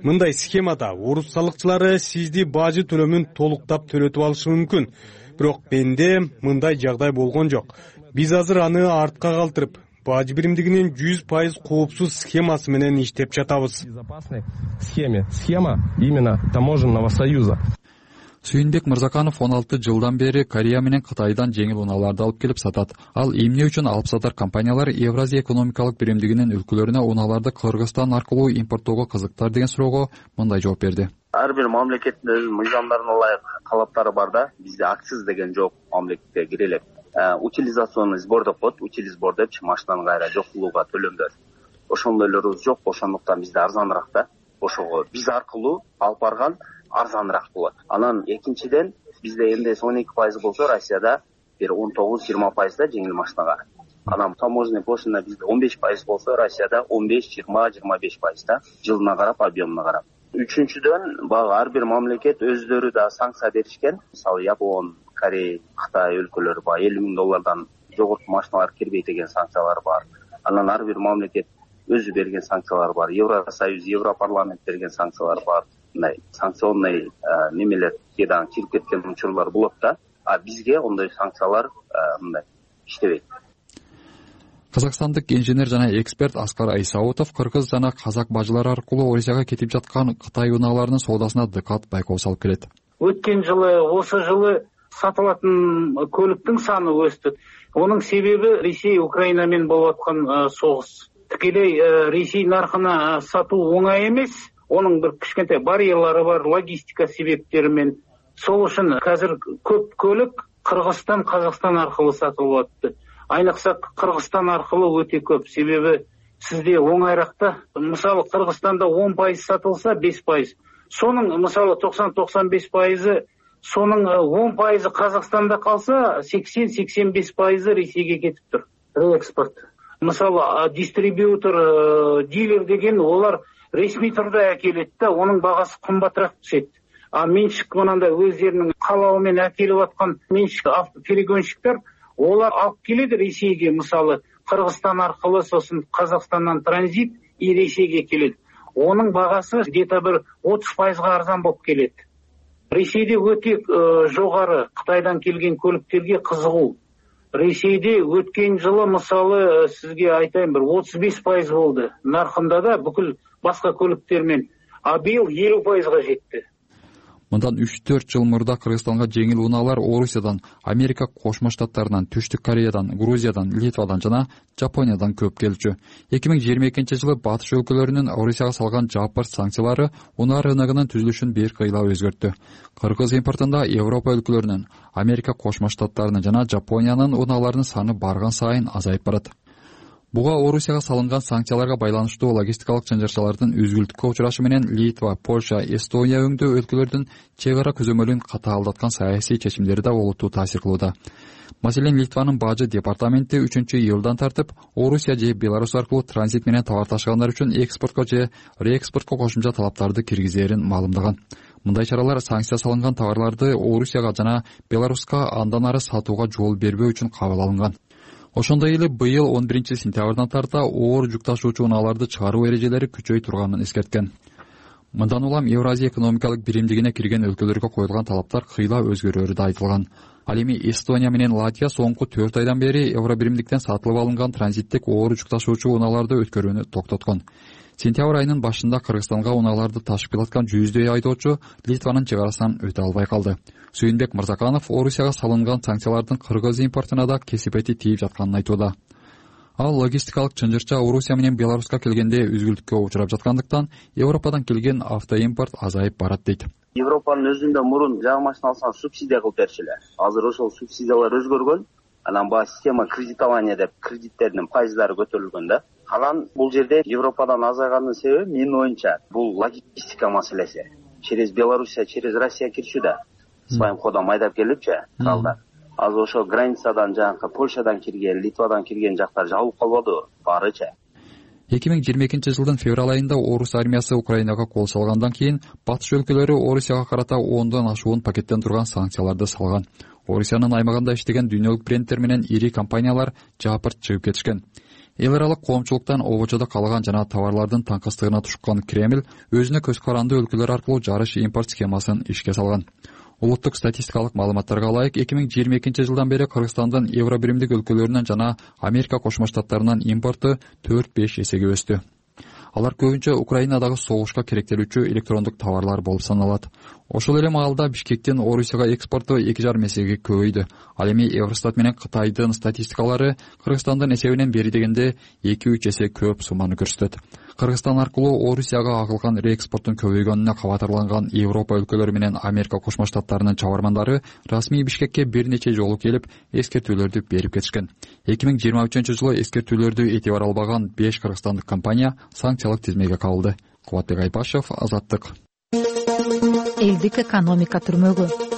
Мындай схемада орус салыкчылары сизди бажы төлөмүн толуктап төлөтүп алышы мүмкүн. Бирок менде мындай жагдай болгон жок. Биз азыр аны артка калтырып, бажы биримдигинин жүз пайыз коопсуз схемасы менен иштеп жатабыз. Безопасной схеме. Схема именно таможенного союза. Сүйүнбек Мырзаканов он алты жылдан бери Корея менен Кытайдан жеңил унааларды алып келип сатат. Ал эмне үчүн алып сатар компаниялар Евразия экономикалык биримдигинин өлкөлөрүнө унааларды Кыргызстан аркылуу импорттоого кызыктар деген суроого мындай жооп берди. Ар бир мамлекеттин мыйзамдарына ылайык талаптары бар да. Бизде акциз деген жок, мамлекетке кире элек. Утилизационный сбор деп коет, утилизбор деп машинанын кайра жокулууга төлөмдөр. Ошондойлорубуз жок, ошондуктан бизде арзаныраак да. Ошого биз аркылуу алып барган арзаныраак болот. Анан экинчиден бизде эн дэ эс он эки пайыз болсо, Россияда бир он тогуз жыйырма пайызда жеңил машинага. Анан таможенный пошлина бизде он беш пайыз болсо, Россияда он беш жыйырма жыйырма беш пайызда, жылына карап, объемуна карап. Үчүнчүдөн, баягы ар бир мамлекет өздөрү да санкция беришкен. Мисалы, Япон, Корея, Кытай өлкөлөрү баягы элүү миң доллардан жогорку машиналар кирбейт деген санкциялар бар. Анан ар бир мамлекет өзү берген санкциялар бар. Евросоюз, Европарламент берген санкциялар бар. Мындай санкционный немелер кээде кирип кеткен учурлар болот да. А бизге ондой санкциялар мындай иштебейт. Казакстандык инженер жана эксперт Аскар Айсаутов кыргыз жана казак бажылары аркылуу Орусияга кетип жаткан Кытай унааларынын соодасына дыкат байкоо салып келет. өткен жылы осы жылы сатылатын көлүктүн саны өстү. Онун себеби Ресей Украина менен болуп аткан согуш. Тикелей Ресей наркына сатуу оңай эмес. Онун бир кичкентай барьерлары бар, логистика себептери менен. Сол үчүн азыр көп көлүк Кыргызстан, Казакстан аркылуу сатылып атты. Айныкса Кыргызстан аркылуу өтө көп. Себеби сизде оңайракта. Мисалы Кыргызстанда он пайыз сатылса беш пайыз. Сонун мисалы токсон токсон беш пайызы, сонун он пайызы Казакстанда калса, сексен сексен беш пайызы Ресейге кетип тур. Реэкспорт. Мисалы дистрибьютор, дилер деген олар ресми турда әкелет да, onun багасы кымбатыраак түшөт. А меншик мынандай өздеринин калабы менен әкелип аткан меншик автоперегонщиктер олар алып келет Ресейге, мисалы Кыргызстан аркылуу, сосын Казакстандан транзит и Ресейге келет. Onun багасы где-то бир отуз пайызга арзан болуп келет. Ресейде өтө жогору Кытайдан келген көлүктерге кызыгуу. Ресейде өткен жылы мисалы сизге айтайын бир отуз беш пайыз болду. Наркында да бүкүл башка көлүктер менен. А быйыл элүү пайызга жетти. Мындан үч төрт жыл мурда Кыргызстанга жеңил унаалар Орусиядан, Америка Кошмо Штаттарынан, Түштүк Кореядан, Грузиядан, Литвадан жана Жапониядан көп келчү. эки миң жыйырма экинчи жылы батыш өлкөлөрүнүн Орусияга салган жапыр санкциялары унаа рыногунун түзүлүшүн бир кыйла өзгөрттү. Кыргыз импортунда Европа өлкөлөрүнүн, Америка Кошмо Штаттарынын жана Жапониянын унааларынын саны барган сайын азайып барат. Буга Орусияга салынган санкцияларга байланыштуу логистикалык чынжырчалардын үзгүлтүккө учурашы менен Литва, Польша, Эстония өңдүү өлкөлөрдүн чек ара көзөмөлүн катаалдаткан саясий чечимдери да олуттуу таасир кылууда. Маселен, Литванын бажы департаменти үчүнчү июлдан тартып, Орусия же Беларусь аркылуу транзит менен товар ташыгандар үчүн экспортко же реэкспортко кошумча талаптарды киргизерин маалымдаган. Мындай чаралар санкция салынган товарларды Орусияга жана Беларуска андан ары сатууга жол бербөө үчүн кабыл алынган. Ошондой эле быйыл он биринчи сентябрдан тарта оор жүк ташуучу унааларды чыгаруу эрежелери күчөй турганын эскерткен. Мындан улам Евразия экономикалык биримдигине кирген өлкөлөргө коюлган талаптар кыйла өзгөрөөрү да айтылган. Ал эми Эстония менен Латвия соңку төрт айдан бери евро биримдиктен сатылып алынган транзиттик оор жүк ташуучу унааларды өткөрүүнү токтоткон. Сентябрь айынын башында Кыргызстанга унааларды ташып келаткан жүздөй айдоочу Литванын чек арасынан өтө албай калды. Сүйүнбек Мырзаканов Орусияга салынган санкциялардын Кыргыз импортуна да кесипети тийип жатканын айтууда. Ал логистикалык чынжырча Орусия менен Беларуска келгенде үзгүлтүккө учурап жаткандыктан Европадан келген автоимпорт азайып барат дейт. Европанын өзүндө мурун жаа машина алсаң субсидия кылып берчү эле. Азыр ошол субсидиялар өзгөргөн. Анан баягы система кредитования деп кредиттердин пайыздары көтөрүлгөн да. Анан бул жерде Европадан азайганын себеби менин оюмча бул логистика маселеси. Через Белоруссия, через Россия кирчү да. Своим ходом айдап келипчи калдар. Азыр ошо границадан жанакы Польшадан кирген, Литвадан кирген жактар жабылып калбады барычы. эки миң жыйырма экинчи жылдын февраль айында Орус армиясы Украинага кол салгандан кийин батыш өлкөлөрү Орусияга карата ондон ашуун пакеттен турган санкцияларды салган. Орусиянын аймагында иштеген дүйнөлүк брендтер менен ири компаниялар жапырт чыгып кетишкен. Эл аралык коомчулуктан обочодо калган жана товарлардын таңкыстыгына тушкан Кремль өзүнө көз каранды өлкөлөр аркылуу жарыш импорт схемасын ишке салган. Улуттук статистикалык маалыматтарга ылайык эки миң жыйырма экинчи жылдан бери Кыргызстандын евро биримдик өлкөлөрүнөн жана Америка Кошмо Штаттарынан импорту төрт беш эсеге өстү. Алар көбүнчө Украинадагы согушка керектелүүчү электрондук товарлар болуп саналат. Ошол эле маалда Бишкектен Орусияга экспорту эки жарым эсеге көбөйдү. Ал эми Евростат менен Кытайдын статистикалары Кыргызстандын эсебинен бери дегенде эки үч эсе көп сумманы көрсөтөт. Кыргызстан аркылуу Орусияга агылган реэкспорттун көбөйгөнүнө кабатырланган Европа өлкөлөрү менен Америка Кошмо Штаттарынын чабармандары расмий Бишкекке бир нече жолу келип эскертүүлөрдү берип кетишкен. эки миң жыйырма үчүнчү жылы эскертүүлөрдү этибар албаган беш кыргызстандык компания санкциялык тизмеге кабылды. Кубатбек Айпашев, Азаттык. Элдик экономика түрмөгү.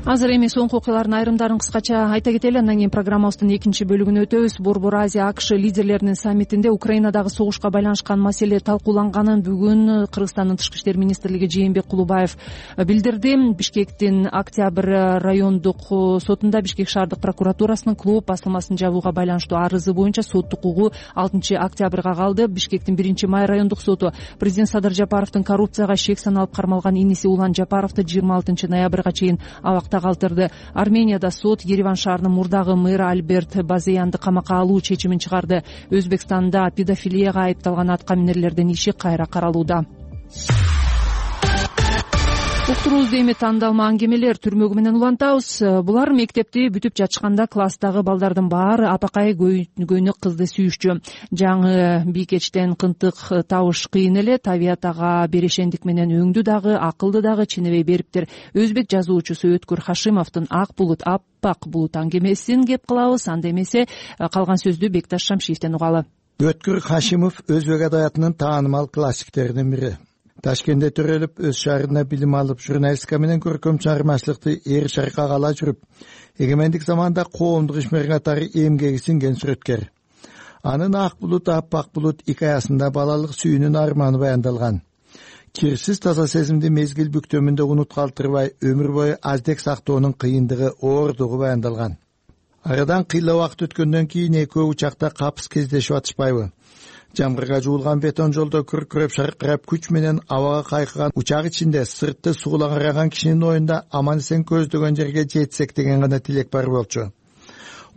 Азыр эми соңку окуялардын айрымдарын кыскача айта кетели, андан кийин программабыздын экинчи бөлүгүнө өтөбүз. Борбор Азия АКШ лидерлеринин саммитинде Украинадагы согушка байланышкан маселе талкууланганын бүгүн Кыргызстандын тышкы иштер министрлиги Жээнбек Кулубаев билдирди. Бишкектин Октябрь райондук сотунда Бишкек шаардык прокуратурасынын клуб басылмасын жабууга байланыштуу арызы боюнча соттук угуу алтынчы октябрга калды. Бишкектин биринчи май райондук соту президент Садыр Жапаровдун коррупцияга шек саналып кармалган иниси Улан Жапаровду жыйырма алтынчы ноябрга чейин абакта калтырды. Арменияда сот Ереван шаарынын мурдагы мэры Альберт Базеянды камакка алуу чечимин чыгарды. Өзбекстанда педофилияга айыпталган аткаминерлердин иши кайра каралууда. уктуруубузду эми тандалма аңгемелер түрмөгү менен улантабыз. Булар мектепти бүтүп жатышканда класстагы балдардын баары апакай көйнөк кызды сүйүшчү. Жаңы бийкечтен кынтык табыш кыйын эле. Табият ага берешендик менен өңдү дагы, акылды дагы ченебей бериптир. Өзбек жазуучусу Өткөр Хашимовдун Ак булут, аппак булут аңгемесин кеп кылабыз. Анда эмесе калган сөздү Бекташ Шамшиевден угалы. Өткөр Хашимов өзбек адабиятынын таанымал классиктеринин бири. Ташкентте төрөлүп, өз шаарында билим алып, журналистика менен көркөм чыгармачылыкты эр шаркага ала жүрүп, эгемендик заманда коомдук ишмер катары эмгеги сиңген сүрөткер. Анын Ак булут, аппак булут икаясында балалык сүйүүнүн арманы баяндалган. Кирсиз таза сезимди мезгил бүктөмүндө унут калтырбай, өмүр бою аздек сактоонун кыйындыгы, оордугу баяндалган. Арадан кыйла убакыт өткөндөн кийин экөө учакта капыс кездешип атышпайбы? Жамгырга жуулган бетон жолдо күркүрөп шаркырап күч менен абага кайкыган учак ичинде сыртты суула караган кишинин оюнда аман эсен көздөгөн жерге жетсек деген гана тилек бар болчу.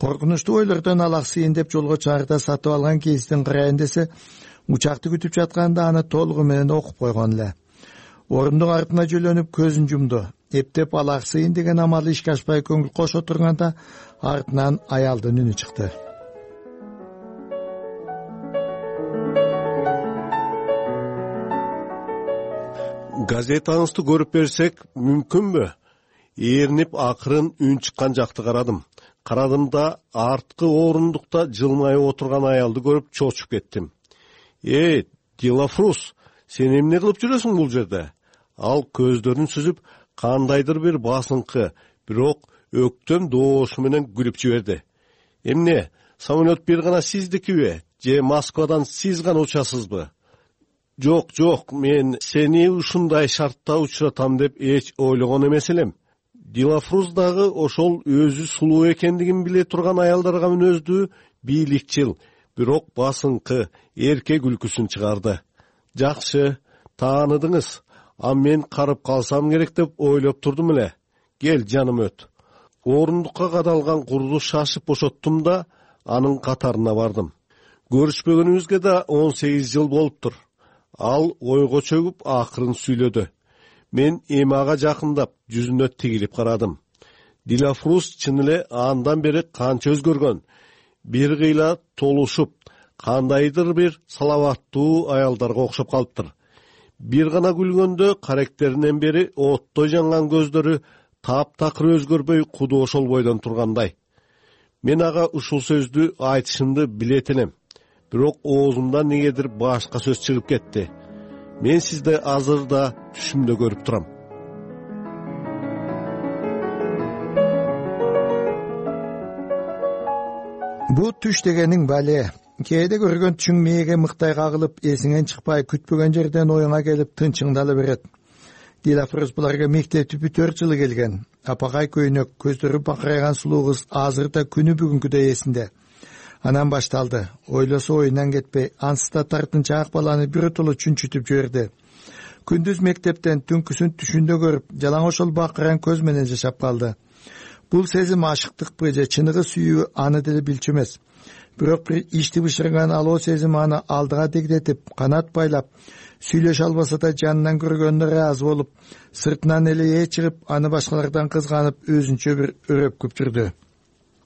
Коркунучтуу ойлордон алаксыйын деп жолго чыгарда сатып алган кездин карайын десе, учакты күтүп жатканда аны толугу менен окуп койгон эле. Орундук артына жөлөнүп көзүн жумду. Эптеп алаксыйын деген амалы ишке ашпай көңүл кошо турганда артынан аялдын үнү чыкты. Газетаңызды көрүп берсек мүмкүнбү? Эрнип акырын үн чыккан жакты карадым. Карадым да арткы орундукта жылмайып отурган аялды көрүп чочуп кеттим. Эй, Дилафрус, сен эмне кылып жүрөсүң бул жерде? Ал көздөрүн сүзүп, кандайдыр бир басыңкы, бирок өктөм доошу менен күлүп жиберди. Эмне, самолет бир гана сиздикиби? Же Москвадан сиз гана учасызбы? Жок, жок, мен сени ушундай шартта учуратам деп эч ойлогон эмес элем. Дилафруз дагы ошол өзү сулуу экендигин биле турган аялдарга мүнөздүү бийликчил, бирок басыңкы, эрке күлкүсүн чыгарды. Жакшы, тааныдыңыз. А мен карып калсам керек деп ойлоп турдум эле. Кел, жаным, өт. Орундукка кадалган курду шашып бошоттум да анын катарына бардым. Көрүшпөгөнүбүзгө да он сегиз жыл болуптур. Ал ойго чөгүп акырын сүйлөдү. Мен эми ага жакындап, жүзүнө тигилип карадым. Дилафрус чын эле андан бери канча өзгөргөн. Бир кыйла толушуп, кандайдыр бир салаваттуу аялдарга окшоп калыптыр. Бир гана күлгөндө каректеринен бери оттой жанган көздөрү таптакыр өзгөрбөй куду ошол бойдон тургандай. Мен ага ушул сөздү айтышымды билет элем. Бирок оозумдан негедир башка сөз чыгып кетти. Мен сизди азыр да түшүмдө көрүп турам. Бу түш дегениң бале. Кээде көргөн түшүң мээге мыктай кагылып, эсиңен чыкпай, күтпөгөн жерден оюңа келип тынчыңдала берет. Дилафрус буларга мектепти бүтөр жылы келген. Апакай көйнөк, көздөрү бакырайган сулуу кыз азыр да күнү бүгүнкүдөй эсинде. Анан башталды. Ойлосо оюнан кетпей, ансыз да тартынчаак баланы биротоло чүнчүтүп жиберди. Күндүз мектептен, түнкүсүн түшүндө көрүп, жалаң ошол бакыран көз менен жашап калды. Бул сезим ашыктыкпы же чыныгы сүйүү аны деле билчү эмес. Бирок бир ичти бышырган алоо сезим аны алдыга дегдетип, канат байлап, сүйлөшө албаса да жанынан көргөнүнө ыраазы болуп, сыртынан эле чыгып, аны башкалардан кызганып, өзүнчө бир өрөпкүп жүрдү.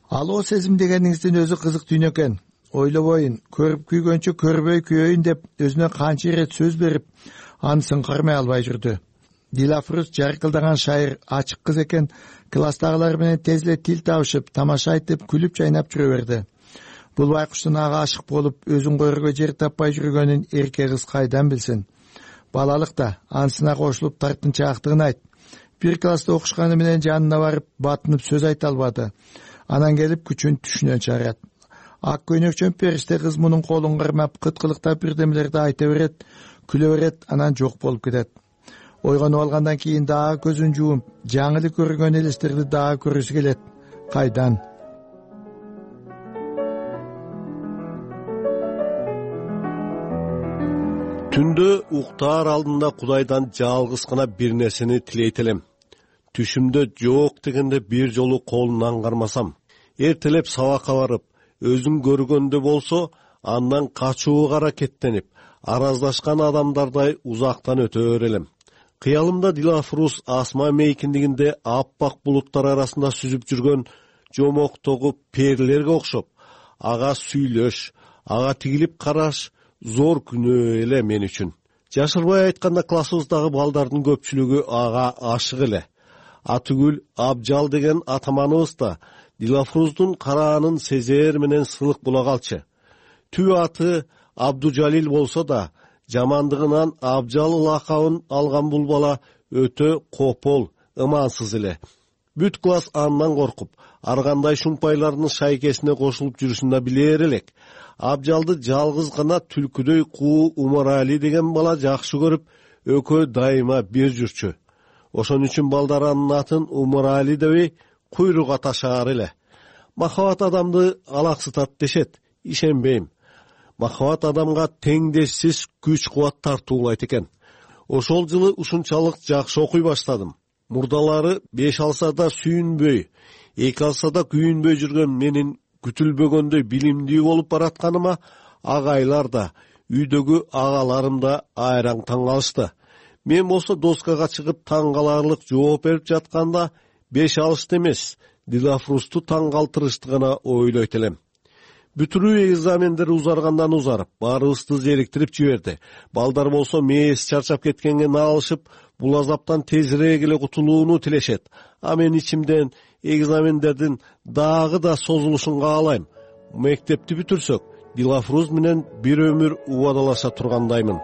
Алоо сезим дегениңиздин өзү кызык дүйнө экен. Ойлобойн, көрүп күйгөнчө көрбөй күйөйүн деп өзүнө канча ирет сөз берип, анысын кармай албай жүрдү. Дилафрус жаркылдаган шайыр, ачык кыз экен, класстагылар менен тез эле тил табышып, тамаша айтып, күлүп жайнап жүрө берди. Бул байкуштун ага ашык болуп, өзүн койрго жер таппай жүргөнүн эрке кыз кайдан билсин? Балалыкта анысына кошулуп тартынчаактыгын айт. Бир класста окушканы менен жанына барып, батынып сөз айта албады. Анан келип күчүн түшүнөн чыгарат. Ак көйнөкчөн периште кыз мунун колун кармап, кыткылыктап бирдемелерди айта берет, күлө берет, анан жок болуп кетет. Ойгонуп алгандан кийин дагы көзүн жууп, жаңы эле көргөн элестерди дагы көрүсү келет. Кайдан? Түндө уктаар алдында Кудайдан жалгыз гана бир нерсени тилейт элем. Түшүмдө жок дегенде бир жолу колунан кармасам, эртелеп сабакка барып, өзүм көргөндө болсо, андан качууга аракеттенип, араздашкан адамдардай узактан өтө берелем. Кыялымда Дилафруз асма мейкиндигинде аппак булуттар арасында сүзүп жүргөн жомоктогу перилерге окшоп, ага сүйлөш, ага тигилип караш зор күнөө эле мен үчүн. Жашырбай айтканда, классыбыздагы балдардын көпчүлүгү ага ашык эле. Атүгүл Абжал деген атаманыбыз да Дилафруздун караанын сезер менен сылык була калчы. Түбү аты Абдужалил болсо да, жамандыгынан Абжал лакабын алган бул бала өтө копол, ымансыз эле. Бүт класс андан коркуп, ар кандай шумпайлардын шайкесине кошулуп жүрүшүн да билер элек. Абжалды жалгыз гана түлкүдөй куу Умарали деген бала жакшы көрүп, экөө дайыма бир жүрчү. Ошон үчүн балдар анын атын Умарали дебей, куйрук аташаар эле. Махабат адамды алаксытат дешет, ишенбейм. Махабат адамга теңдешсиз күч-кубат тартуулайт экен. Ошол жылы ушунчалык жакшы окуй баштадым. Мурдалары беш алса да сүйүнбөй, эки алса да күйүнбөй жүргөн менин күтүлбөгөндөй билимдүү болуп баратканыма агайлар да, үйдөгү агаларым да айраң таң калышты. Мен болсо доскага чыгып таң каларлык жооп берип жатканда беш алышты эмес, Дилафрузду таң калтырышты гана ойлойт элем. Бүтүрүү экзамендери узаргандан узарып, баарыбызды зериктирип жиберди. Балдар болсо мээси чарчап кеткенге наалышып, бул азаптан тезирээк эле кутулууну тилешет. А мен ичимден экзамендердин дагы да созулушун каалайм. Мектепти бүтүрсөк, Дилафруз менен бир өмүр убадалаша тургандаймын.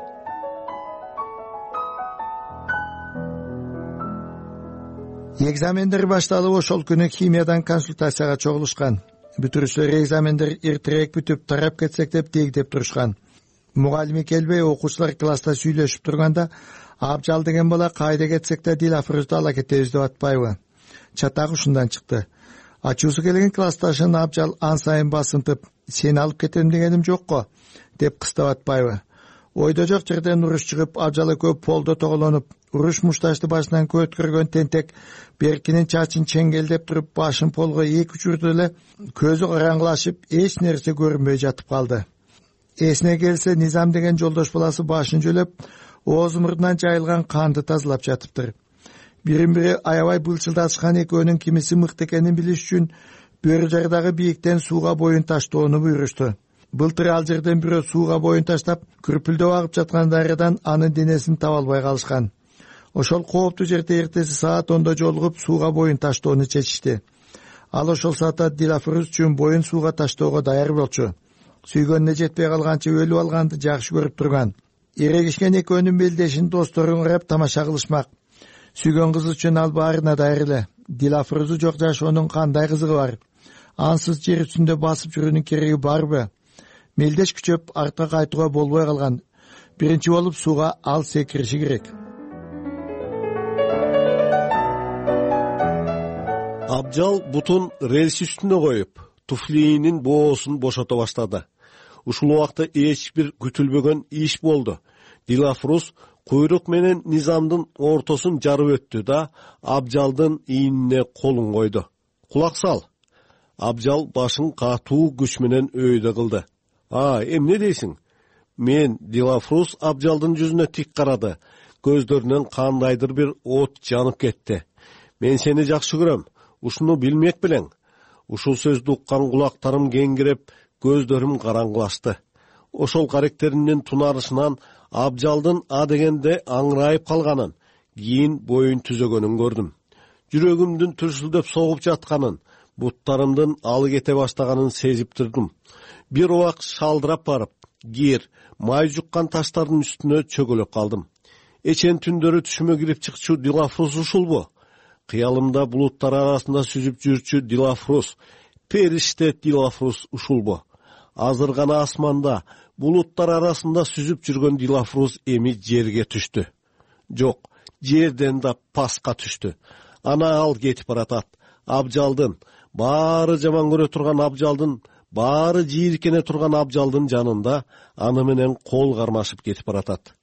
Экзамендер башталып, ошол күнү химиядан консультацияга чогулушкан. Бүтүрүүчүлөр экзамендер эртерээк бүтүп, тарап кетсек деп дегдеп турушкан. Мугалими келбей, окуучулар класста сүйлөшүп турганда, Абжал деген бала кайда кетсек да Дилафрузду ала кетебиз деп атпайбы? Чатак ушундан чыкты. Ачуусу келген классташын Абжал ан сайын басынтып, сени алып кетем дегеним жокко, деп кыстап атпайбы? Ойдо жок жерден уруш чыгып, Абжал экөө полдо тоголонуп, уруш мушташты башынан көткөргөн тентек Беркинин чачын чеңгелдеп туруп, башын полго эки учурду эле көзү караңгылашып, эч нерсе көрүнбөй жатып калды. Эсине келсе, Низам деген жолдош баласы башын жөлөп, ооз мурдунан жайылган канды тазалап жатыптыр. Бирин-бири аябай былчылдашкан экөөнүн кимиси мыкты экенин билиш үчүн бөрү жардагы бийиктен сууга боюн таштоону буйрушту. Былтыр ал жерден бирөө сууга боюн таштап, күрпүлдөп агып жаткан дарыядан анын денесин таба албай калышкан. Ошол кооптуу жерде эртеси саат ондо жолугуп сууга боюн таштоону чечишти. Ал ошол саатта Дилафруз үчүн боюн сууга таштоого даяр болчу. Сүйгөнүнө жетпей калганча өлүп алганды жакшы көрүп турган. Эрегишкен экөөнүн белдешин досторун карап тамаша кылышмак. Сүйгөн кызы үчүн ал баарына даяр эле. Дилафрузу жок жашоонун кандай кызыгы бар? Ансыз жер үстүндө басып жүрүүнүн кереги барбы? Мелдеш күчөп артка кайтууга болбой калган. Биринчи болуп сууга ал секириши керек. Абжал бутун рельс үстүнө коюп, туфлиинин боосун бошото баштады. Ушул убакта эч бир күтүлбөгөн иш болду. Дилафруз куйрук менен Низамдын ортосун жарып өттү да Абжалдын ийнине колун койду. Кулак сал. Абжал башын катуу күч менен өйдө кылды. А, эмне дейсиң? Мен Дилафруз Абжалдын жүзүнө тик карады. Көздөрүнөн кандайдыр бир от жанып кетти. Мен сени жакшы көрөм. Ушуну билмек белең. Ушул сөздү уккан кулактарым кеңгиреп, көздөрүм караңгылашты. Ошол каректеринин тунарышынан Абжалдын а дегенде аңырайып калганын, кийин боюн түзөгөнүн көрдүм. Жүрөгүмдүн түрсүлдөп согуп жатканын, буттарымдын алы кете баштаганын сезип турдум. Бир убак шалдырап барып, кир, май жуккан таштардын үстүнө чөгөлөп калдым. Эчен түндөрү түшүмө кирип чыкчу Дилафруз ушулбу? Кыялымда булуттар арасында сүзүп жүрчү Дилафруз, периште Дилафруз ушулбу? Азыр гана асманда булуттар арасында сүзүп жүргөн Дилафруз эми жерге түштү. Жок, жерден да паска түштү. Ана ал кетип баратат. Абжалдын, баары жаман көрө турган Абжалдын, баары жийиркене турган Абжалдын жанында аны менен кол кармашып кетип баратат.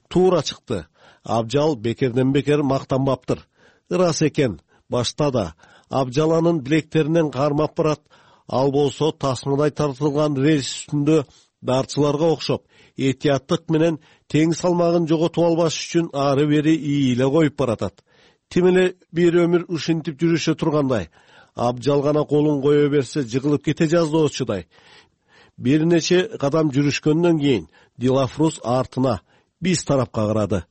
Туура чыкты. Абжал бекерден бекер мактанбаптыр. Ырас экен, башта да Абжал анын билектеринен кармап барат. Ал болсо тасмадай тартылган рельс үстүндө дарчыларга окшоп этияттык менен тең салмагын жоготуп албаш үчүн ары бери ийиле коюп баратат. Тим эле бир өмүр ушинтип жүрүшө тургандай, абжал гана колун кое берсе жыгылып кете жаздоочудай. Бир нече кадам жүрүшкөндөн кийин Дилафрус артына биз тарапка карады.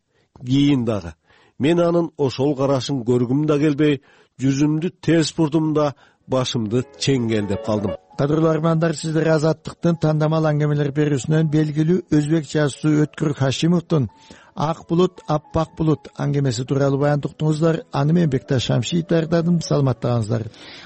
Кийин дагы мен анын ошол карашын көргүм да келбей, жүзүмдү терс бурдум да башымды чеңгелдеп калдым. Кадырлуу армандар, сиздер Азаттыктын тандамал аңгемелер берүүсүнөн белгилүү өзбек жазуучусу Өткүр Хашимовдун Ак булут, аппак булут аңгемеси тууралуу баян уктуңуздар. Аны мен Бекташ Шамшиев даярдадым. Саламаттыгыңыздар.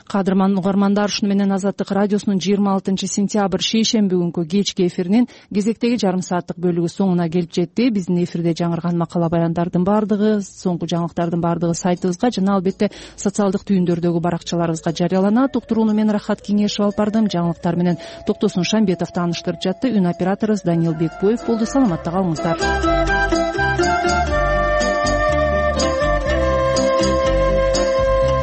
Кадырман угармандар, ушуну менен Азаттык радиосунун жыйырма алтынчы сентябрь шейшемби күнкү кечки эфиринин кезектеги жарым сааттык бөлүгү соңуна келип жетти. Биздин эфирде жаңырган макала баяндардын баардыгы, соңку жаңылыктардын баардыгы сайтыбызга жана албетте социалдык түйүндөрдөгү баракчаларыбызга жарыяланат. Уктурууну мен Рахат Кеңешев алып бардым. Жаңылыктар менен Токтосун Шамбетов тааныштырып жатты. Үн операторубуз Даниил Бекбоев болду. Саламатта калыңыздар.